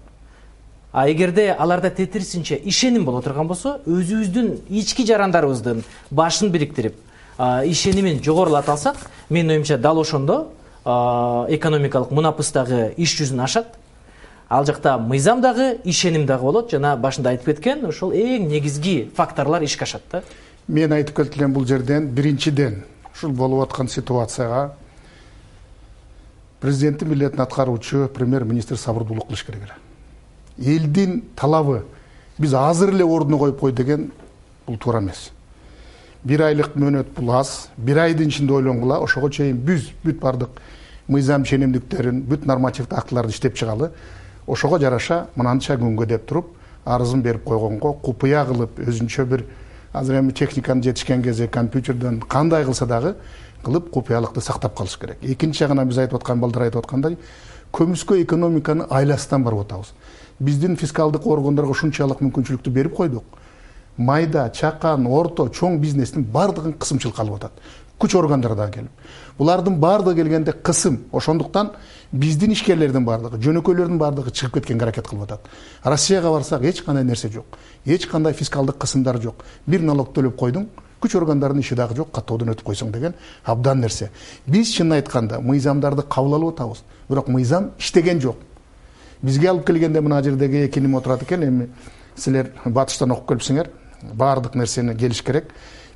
А эгерде аларда тетирисинче ишеним боло турган болсо, өзүбүздүн ички жарандарыбыздын башын бириктирип, ишенимин жогорулата алсак, менин оюмча дал ошондо экономикалык мунапыс дагы иш жүзүн ашат. Ал жакта мыйзам дагы, ишеним дагы болот. Жана башында айтып кеткен, ошол эң негизги факторлор ишке ашат да. Мен айтып кеткен бул жерден биринчиден ушул болуп аткан ситуацияга президенттин милдетин аткаруучу премьер-министр сабырдуулук кылыш керек эле. Элдин талабы биз азыр эле ордуна коюп кой деген бул туура эмес. 1 айлык мөөнөт бул аз. 1 айдын ичинде ойлонгула, ошого чейин бүт бардык мыйзам ченемдиктерин, бүт нормативдик актыларды иштеп чыгалы. Ошого жараша мынанча күнгө деп туруп, арызын берип койгонго купуя кылып, өзүнчө бир азыр эми техниканын жетишкен кезде компьютерден кандай кылса дагы кылып купуялыкты сактап калыш керек. Экинчи жагынан биз айтып аткан балдар айтып аткандай, көмүскө экономиканы айластан барып атабыз. Биздин фискалдык органдарга ушунчалык мүмкүнчүлүктү берип койдук. Майда, чакан, орто, чоң бизнестин бардыгын кысымчылыкка алып атат. Күч органдары да келип. Булардын бардыгы келгенде кысым. Ошондуктан биздин ишкерлердин бардыгы, жөнөкөйлөрдүн бардыгы чыгып кеткенге аракет кылып атат. Россияга барсак эч кандай нерсе жок. Эч кандай фискалдык кысымдар жок. Бир налог төлөп койдуң, күч органдарынын иши дагы жок, каттоодон өтүп койсоң деген абдан нерсе. Биз чынын айтканда мыйзамдарды кабыл алып атабыз, бирок мыйзам иштеген жок. Бизге алып келгенде мына жердеги экиним отурат экен, эми силер батыштан окуп келипсиңер, баардык нерсени келиш керек.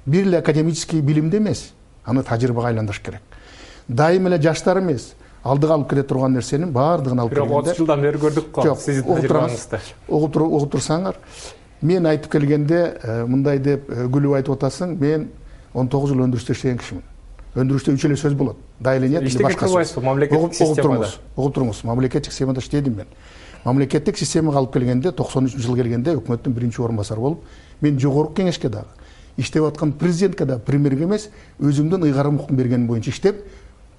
Бир эле академический билимде эмес, аны тажрыйбага айландырыш керек. Дайым эле жаштар эмес, алдыга алып келе турган нерсенин баардыгын алып келгенде. 30 жылдан бери көрдүк го сиздин тажрыйбаңызды. Угуп турсаңар, мен айтып келгенде мындай деп күлүп айтып атасың, мен 19 жыл өндүрүштө иштеген кишимин. Өндүрүштө 3 эле сөз болот. Да или нет, или башка сөз. Мамлекеттик системада. Угуп туруңуз. Мамлекеттик системада иштедим мен. Мамлекеттик системага алып келгенде 93-жыл келгенде өкмөттүн биринчи орун басары болуп, мен жогорку кеңешке дагы иштеп аткан президентке да премьерге эмес, өзүмдүн ыйгарым укук бергеним боюнча иштеп,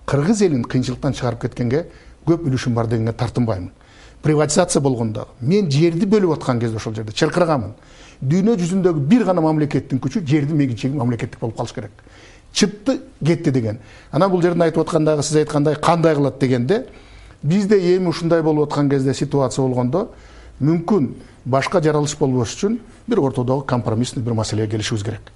кыргыз элин кыйынчылыктан чыгарып кеткенге көп үлүшүм бар дегенге тартынбаймын. Приватизация болгондо мен жерди бөлүп аткан кезде ошол жерде чыркырганмын. Дүйнө жүзүндөгү бир гана мамлекеттин күчү жердин мегичеги мамлекеттик болуп калыш керек. Чыпты кетти деген. Анан бул жерден айтып аткандагы сиз айткандай кандай кылат дегенде, бизде эми ушундай болуп аткан кезде ситуация болгондо мүмкүн башка жаралыш болбош үчүн бир ортодогу компромиссный бир маселеге келишибиз керек.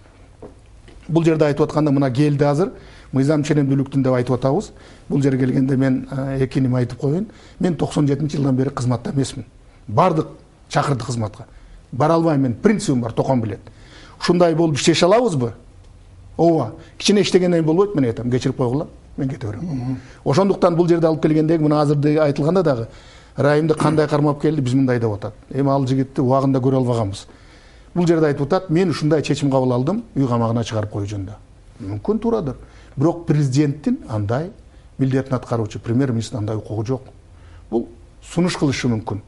Бул жерде айтып атканда мына келди азыр мыйзам ченемдүүлүктүн деп айтып атабыз. Бул жерге келгенде мен экиним айтып коеюн. Мен 97-жылдан бери кызматта эмесмин. Бардык чакырды кызматка. Бара албайм, мен принцибим бар, токон билет. Ушундай болуп иштеше алабызбы? Ооба. Кичине иштегенден болбойт, мен айтам, кечирип койгула, мен кете берем. Ошондуктан бул жерде алып келгендеги мына азыр айтылганда дагы Райымды кандай кармап келди, биз мындай деп атат. Эми ал жигитти убагында көрө албаганбыз. Бул жерде айтып атат, мен ушундай чечим кабыл алдым, үй камагына чыгарып коюу жөнүндө. Мүмкүн туурадыр. Бирок президенттин андай милдетин аткаруучу премьер-министрдин андай укугу жок. Бул сунуш кылышы мүмкүн.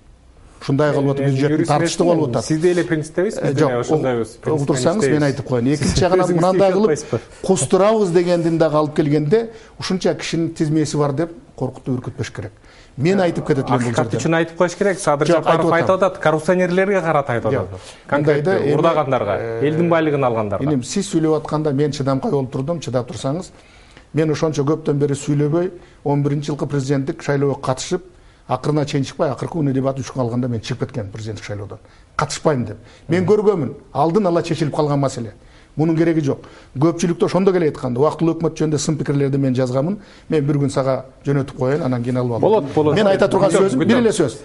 Ушундай кылып атып бюджеттин тартыштуу болуп атат. Сиз деле принциптебиз, биз деле ошондойбуз. Отурсаңыз мен айтып коеюн. Экинчи жагынан мындай кылып кустурабыз дегендин дагы алып келгенде, ушунча кишинин тизмеси бар деп коркутуп үркүтпөш керек. Мен айтып кетет элем бул жерде. Акыркы үчүн айтып коюш керек. Садыр Жапаров айтып атат, коррупционерлерге карата айтып атат. Конкретно урдагандарга, элдин байлыгын алгандарга. Энем сиз сүйлөп атканда мен чыдамкай болуп турдум, чыдап турсаңыз, мен ошончо көптөн бери сүйлөбөй, 11-жылкы президенттик шайлоого катышып, акырына чейин чыкпай, акыркы күнү дебат 3 күн калганда мен чыгып кеткем президенттик шайлоодон. Катышпайм деп. Мен көргөмүн, алдын ала чечилип калган маселе. Мунун кереги жок. Көпчүлүктө ошондо келе айтканда, убактылуу өкмөт жөнүндө сын пикирлерди мен жазганмын. Мен бир күн сага жөнөтүп коеюн, анан кийин алып алам. Болот. Мен айта турган сөзүм бир эле сөз.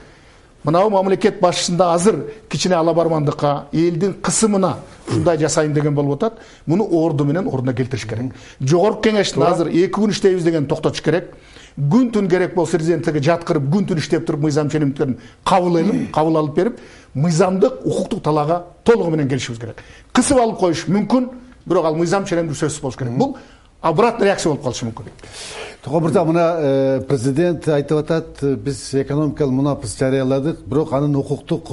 Мынау мамлекет башчысында азыр кичине алабармандыкка, элдин кысымына ушундай жасайын деген болуп атат. Муну орду менен ордуна келтириш керек. Жогорку кеңештин азыр 2 күн иштейбиз деген токтотуш керек. Күн-түн керек болсо президентке жаткырып, күн-түн иштеп туруп мыйзам ченемдиктерин кабыл алып берип, мыйзамдык, укуктук талаага толугу менен келишибиз керек. Кысып алып коюш мүмкүн, бирок ал мыйзам ченемдүү сөзсүз болуш керек. Бул обратный реакция болуп калышы мүмкүн. Токон мырза, мына президент айтып атат, биз экономикалык мунапыс жарыяладык, бирок анын укуктук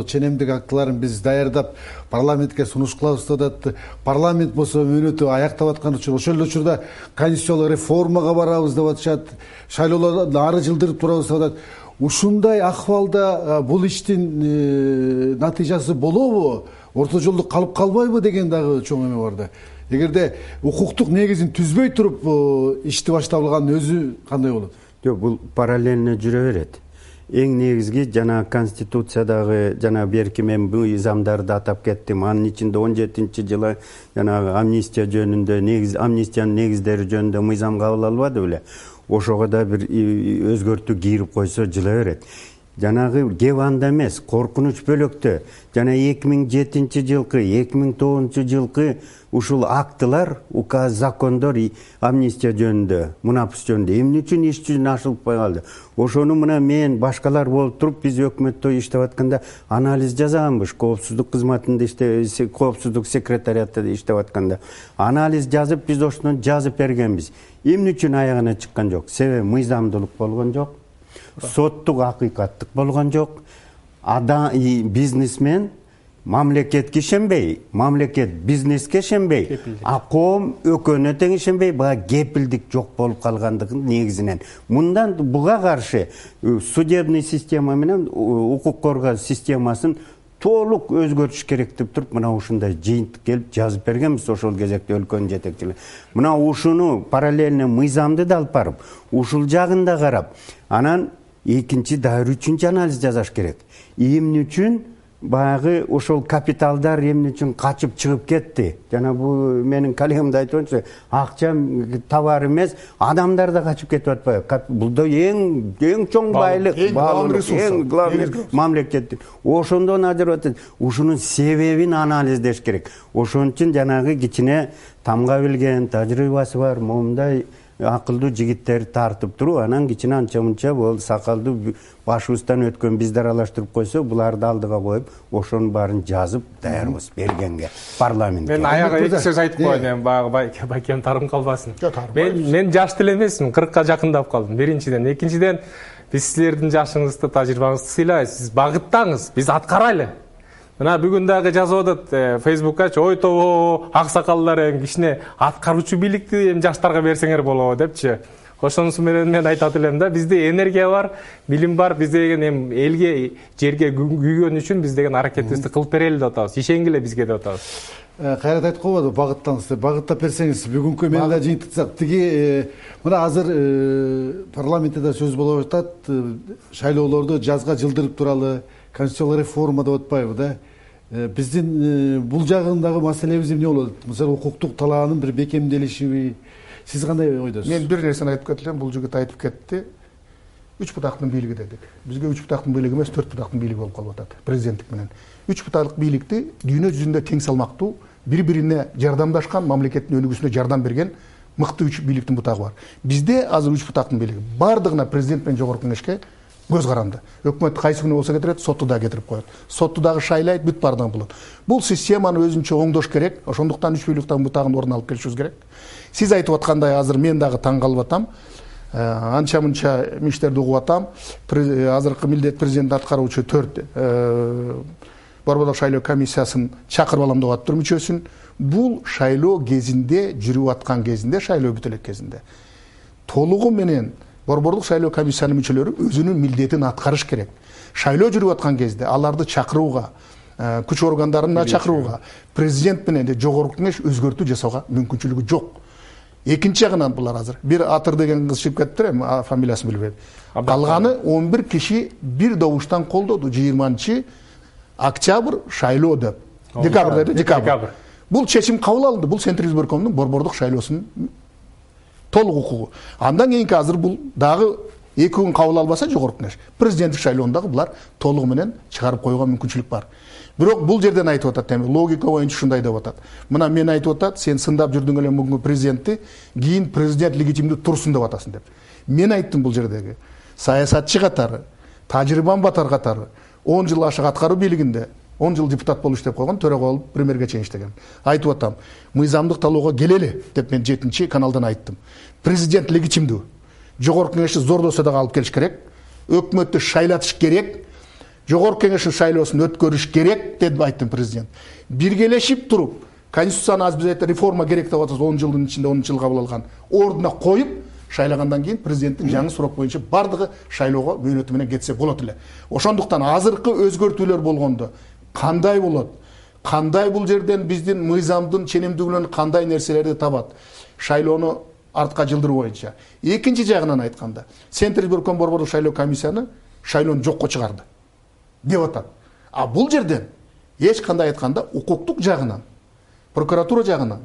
ченемдик актыларын биз даярдап парламентке сунуш кылабыз деп атат. Парламент болсо мөөнөтү аяктап аткан үчүн ошол эле учурда конституциялык реформага барабыз деп атышат, шайлоолорду ары жылдырып турабыз деп атат. Ушундай акыбалда бул иштин натыйжасы болобу? орто жолдо калып калбайбы деген дагы чоң эме бар да. Эгерде укуктук негизин түзбөй туруп ишти башталганын өзү кандай болот? Жок, бул параллельно жүрө берет. Эң негизги жана конституциядагы жана берки мен бул мыйзамдарды атап кеттим. Анын ичинде 17-жылы жана амнистия жөнүндө амнистиянын негиздери жөнүндө мыйзам кабыл алынбады беле? Ошого да бир өзгөртүү кирип койсо жыла берет. Жанагы кеп анда эмес, коркунуч бөлөктө жана 2007 жылкы, 2009 жылкы ушул актылар, указ, закондор амнистия жөнүндө, мунапыс жөнүндө эмне үчүн иш жүзүнө ашылбай калды? Ошону мына мен башкалар болуп туруп биз өкмөттө иштеп атканда анализ жасаганбыз. Коопсуздук кызматында коопсуздук секретариатында иштеп атканда анализ жазып, биз ошону жазып бергенбиз. Эмне үчүн аягына чыккан жок? Себеби мыйзамдуулук болгон жок. Соттук акыйкаттык болгон жок. Бизнесмен мамлекетке ишенбей, мамлекет бизнеске ишенбей, а коом өкөнө тең ишенбей, бага кепилдик жок болуп калгандыгын негизинен. Мындан буга каршы судебный система менен укук коргоо системасын толук өзгөртүш керек деп туруп, мына ушундай жыйынтык келип жазып бергенбиз ошол кезекте өлкөнүн жетекчилери. Мына ушуну параллельно мыйзамды да алып барып, ушул жагын да карап, анан экинчи дагы үчүнчү анализ жасаш керек. Эмне үчүн баягы ошол капиталдар эмне үчүн качып чыгып кетти? Жана бул менин коллегам да айтканча, акча товар эмес, адамдар да качып кетип атпайбы? Бул да эң чоң байлык, эң главный мамлекеттин. Ошондон ажырап атат. Ушунун себебин анализдеш керек. Ошон үчүн жанагы кичине тамга билген, тажрыйбасы бар, момундай акылдуу жигиттерди тартып туруп, анан кичине анча-мунча бул сакалдуу башыбыздан өткөн бизди аралаштырып койсо, буларды алдыга коюп, ошонун баарын жазып даярбыз бергенге парламентке. Мен аягы эки сөз айтып коеюн, баягы байкем тарым калбасын. Мен жаш деле эмесмин, 40ка жакындап калдым. Биринчиден, экинчиден, биз силердин жашыңызды, тажрыйбаңызды сыйлайбыз. Сиз багыттаңыз, биз аткарайлы. Мына бүгүн дагы жазып атат Facebook'ка, ой тобо аксакалдар кичине аткаруучу бийликти жаштарга берсеңер болобу депчи. Ошонусу менен мен айтат элем да, бизде энергия бар, билим бар, биз деген элге, жерге күйгөн үчүн биз деген аракетибизди кылып берели деп атабыз. Ишенгиле бизге деп атабыз. Кайрат айтып койбодубу, багыттаңыз деп. Багыттап берсеңиз, бүгүнкү мени да жыйынтыксак, тиги мына азыр парламентте да сөз болуп атат, шайлоолорду жазга жылдырып туралы, конституциялык реформа деп атпайбы да? Биздин бул жагындагы маселебиз эмне болот? Мисалы укуктук талаанын бир бекемделишиби? Сиз кандай ойдосуз? Мен бир нерсени айтып кетелем, бул жигит айтып кетти. 3 бутактын бийлиги дедик. Бизге 3 бутактын бийлиги эмес, 4 бутактын бийлиги болуп калып атат президенттик менен. 3 бутактык бийликти дүйнө жүзүндө тең салмактуу, бири-бирине жардамдашкан, мамлекеттин өнүгүүсүнө жардам берген мыкты 3 бийликтин бутагы бар. Бизде азыр 3 бутактын бийлиги. Бардыгына президент менен жогорку кеңешке көз каранды. Өкмөт кайсы күнү болсо кетирет, сотту да кетирип коет. Сотту дагы шайлайт, бүт бардыгын болот. Бул системаны өзүнчө оңдош керек. Ошондуктан 3 бийликтин бутагын ордуна алып келишибиз керек. Сиз айтып аткандай азыр мен дагы таң калып атам. Анча-мынча миштерди угуп атам. Азыркы милдет президент аткаруучу 4 Борбордук шайлоо комиссиясын чакырып алам деп атып мүчөсүн. Бул шайлоо кезинде, жүрүп аткан кезинде, шайлоо бүтө элек кезинде толугу менен Борбордук шайлоо комиссиянын мүчөлөрү өзүнүн милдетин аткарыш керек. Шайлоо жүрүп аткан кезде аларды чакырууга, күч органдарына чакырууга, президент менен жогорку кеңеш өзгөртүү жасауга мүмкүнчүлүгү жок. Экинчи жагынан булар азыр бир Атыр деген кыз чыгып кетиптир, фамилиясын билбейм. Калганы 11 киши бир добуштан колдоду 20 октябрь шайлоо деп. Декабрь. Бул чечим кабыл алынды. Бул Центр избиркомдун борбордук шайлоосунун толук укугу. Андан кийинки азыр бул дагы 2 күн кабыл албаса жогорку кеңеш. Президенттик шайлоондагы булар толугу менен чыгарып коюуга мүмкүнчүлүк бар. Бирок бул жерден айтып атат, логика боюнча ушундай деп атат. Мына мен айтып атат, сен сындап жүрдүң эле бүгүнкү президентти, кийин президент легитимдүү турсун деп атасың деп. Мен айттым бул жердеги саясатчы катары, тажрыйбам батар катары 10 жыл ашык аткаруу бийлигинде 10 жыл депутат болуп иштеп койгон, төрага болуп премьерге чейин иштеген. Айтып атам, мыйзамдык талоого келели деп мен 7-чи каналдан айттым. Президент легитимдүү. Жогорку кеңешти зордосо да алып келиш керек. Өкмөттү шайлатыш керек. Жогорку кеңештин шайлоосун өткөрүш керек деп айттым президент. Биргелешип туруп, конституцияны аз биз реформа керек деп атабыз 10 жылдын ичинде 10 жыл кабыл алган. Ордуна коюп, шайлагандан кийин президенттин жаңы сурок боюнча бардыгы шайлоого мөөнөтү менен кетсе болот эле. Ошондуктан азыркы өзгөртүүлөр болгондо кандай болот? кандай бул жерден биздин мыйзамдын ченемдүүлүгүнөн кандай нерселерди табат шайлоону артка жылдыруу боюнча. Экинчи жагынан айтканда, Центрибирком борбордук шайлоо комиссияны шайлоону жокко чыгарды деп атат. А бул жерден эч кандай айтканда укуктук жагынан, прокуратура жагынан,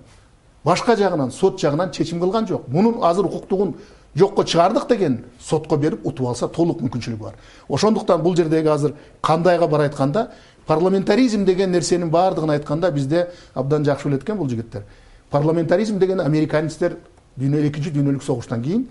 башка жагынан, сот жагынан чечим кылган жок. Мунун азыр укуктугун жокко чыгардык деген сотко берип утуп алса толук мүмкүнчүлүгү бар. Ошондуктан бул жердеги азыр кандайга бар айтканда, парламентаризм деген нерсенин баардыгын айтканда бизде абдан жакшы билет экен бул жигиттер. Парламентаризм деген американецтер экинчи дүйнөлүк согуштан кийин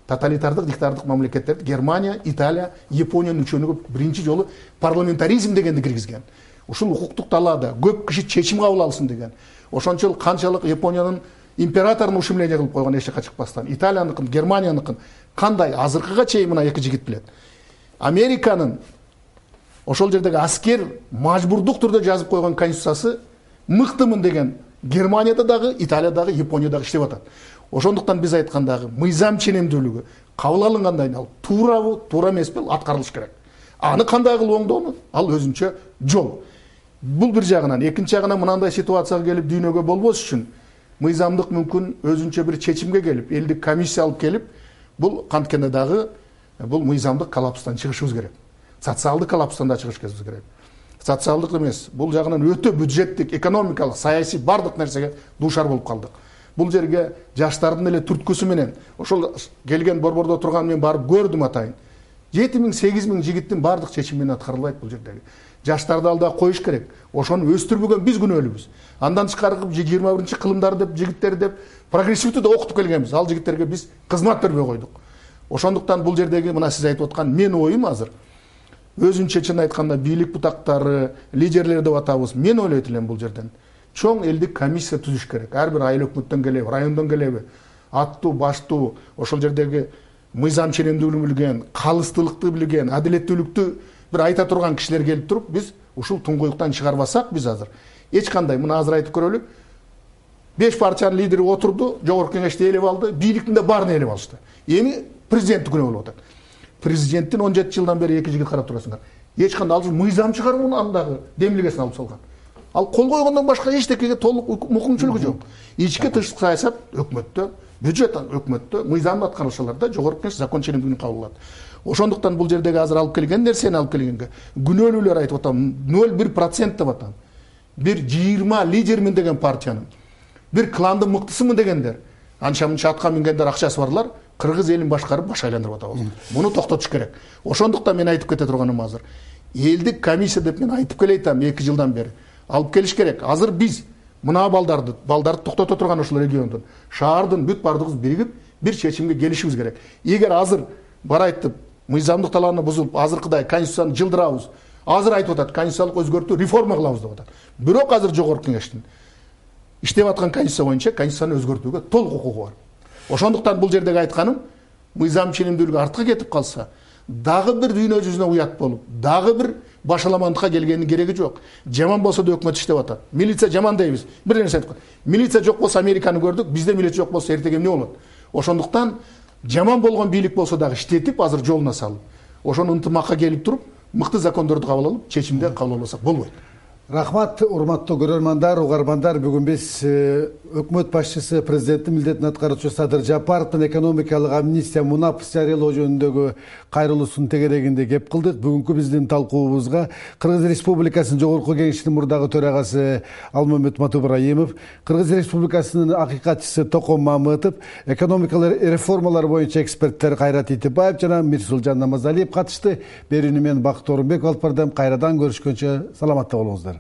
тоталитардык диктатордук мамлекеттерди Германия, Италия, Япониянын үчөөнүгө биринчи жолу парламентаризм дегенди киргизген. Ушул укуктук талаада көп киши чечим кабыл алсын деген. Ошончол канчалык Япониянын императорун ушумление кылып койгон эч жакка чыкпастан, Италияныкын, Германияныкын кандай азыркыга чейин мына эки жигит билет. Американын ошол жердеги аскер мажбурдук түрдө жазып койгон конституциясы мыктымын деген Германияда дагы, Италиядагы, Японияда иштеп атат. Ошондуктан биз айткандагы мыйзам ченемдүүлүгү кабыл алынгандай ал туурабы, туура эмеспи, аткарылыш керек. Аны кандай кылып оңдоону ал өзүнчө жол. Бул бир жагынан, экинчи жагынан мынандай ситуацияга келип дүйнөгө болбош үчүн мыйзамдык мүмкүн өзүнчө бир чечимге келип, элдик комиссия алып келип, бул канткенде дагы бул мыйзамдык коллапстан чыгышыбыз керек. Социалдык коллапстан да чыгышыбыз керек. Социалдык эмес, бул жагынан өтө бюджеттик, экономикалык, саясий бардык нерсеге дуушар болуп калдык. Бул жерге жаштардын эле түрткүсү менен ошол келген борбордо турган мен барып көрдүм атайын. 7000, 8000 жигиттин бардык чечими менен аткарылбайт бул жердеги. Жаштарды алда коюш керек. Ошону өстүрбөгөн биз күнөөлүүбүз. Андан тышкары 21 кылымдар деп жигиттер деп прогрессивдүү да окутуп келгенбиз. Ал жигиттерге биз кызмат бербей койдук. Ошондуктан бул жердеги мына сиз айтып аткан мен оюм азыр өзүнчө чын айтканда бийлик бутактары, лидерлер деп атабыз. Мен ойлойт элем бул жерден чоң элдик комиссия түзүш керек. Ар бир айыл өкмөттөн келеби, райондон келеби, аттуу, баштуу, ошол жердеги мыйзам ченемдүүлүгүн билген, калыстуулукту билген, адилеттүүлүктү бир айта турган кишилер келип туруп, биз ушул туңгуюктан чыгарбасак, биз азыр эч кандай, мына азыр айтып көрөлү, 5 партиянын лидери отурду, жогорку кеңешти ээлеп алды, бийликтин да баарын ээлеп алышты. Эми президенттик күнөө болуп атат. Президенттин 17 жылдан бери эки жигит карап турасыңар. Эч кандай ал мыйзам чыгарууну андагы демилгесин алып салган. Ал кол койгондон башка эчтекеге толук мүмкүнчүлүгү жок. Ички тышкы саясат өкмөттө, бюджет өкмөттө, мыйзам аткаруучуларда жогорку кеңеш закон ченемдүүлүгүн кабыл алат. Ошондуктан бул жердеги азыр алып келген нерсени алып келгенге күнөөлүүлөр айтып атам, 0,1% деп атам. Бир 20 лидермин деген партиянын, бир кландын мыктысымын дегендер, анча-мынча атка мингендер, акчасы барлар, кыргыз элин башкарып баш айландырып атабыз. Муну токтотуш керек. Ошондуктан мен айтып кете турганым азыр. Элдик комиссия деп мен айтып келейтам 2 жылдан бери. Алып келиш керек. Азыр биз мына балдарды токтото турган ошол региондун, шаардын бүт бардыгыбыз биригип бир чечимге келишибиз керек. Эгер азыр бар айтып, мыйзамдык талааны бузулуп, азыркыдай конституцияны жылдырабыз. Азыр айтып атат, конституциялык өзгөртүү, реформа кылабыз деп атат. Бирок азыр жогорку кеңештин иштеп аткан конституция боюнча конституцияны өзгөртүүгө толук укугу бар. Ошондуктан бул жердеги айтканым, мыйзам ченемдүүлүгү артка кетип калса, дагы бир дүйнө жүзүнө уят болуп, дагы бир башаламандыкка келгенин кереги жок. Жаман болсо да өкмөт иштеп атат. Милиция жаман дейбиз. Бир нерсе айтып, милиция жок болсо Американы көрдүк, бизде милиция жок болсо эртең эмне болот? Ошондуктан жаман болгон бийлик болсо дагы иштетип, азыр жолуна салып, ошону ынтымакка келип туруп, мыкты закондорду кабыл алып, чечимдер кабыл албасак болбойт. Рахмат, урматтуу көрөрмандар, угармандар. Бүгүн биз өкмөт башчысы, президенттин милдетин аткаруучу Садыр Жапаровдун экономикалык амнистия мунапыс жарыялоо жөнүндөгү кайрылуусунун тегерегинде кеп кылдык. Бүгүнкү биздин талкуубузга Кыргыз Республикасынын жогорку кеңешинин мурдагы төрагасы Алмамет Матыбраимов, Кыргыз Республикасынын акыйкатчысы Током Мамытов, экономикалык реформалар боюнча эксперттер Кайрат Итибаев жана Мирсулжан Намазалиев катышты. Берүүнү мен Бакыт Орунбеков алып бардым. Кайрадан көрүшкөнчө саламатта болуңуздар.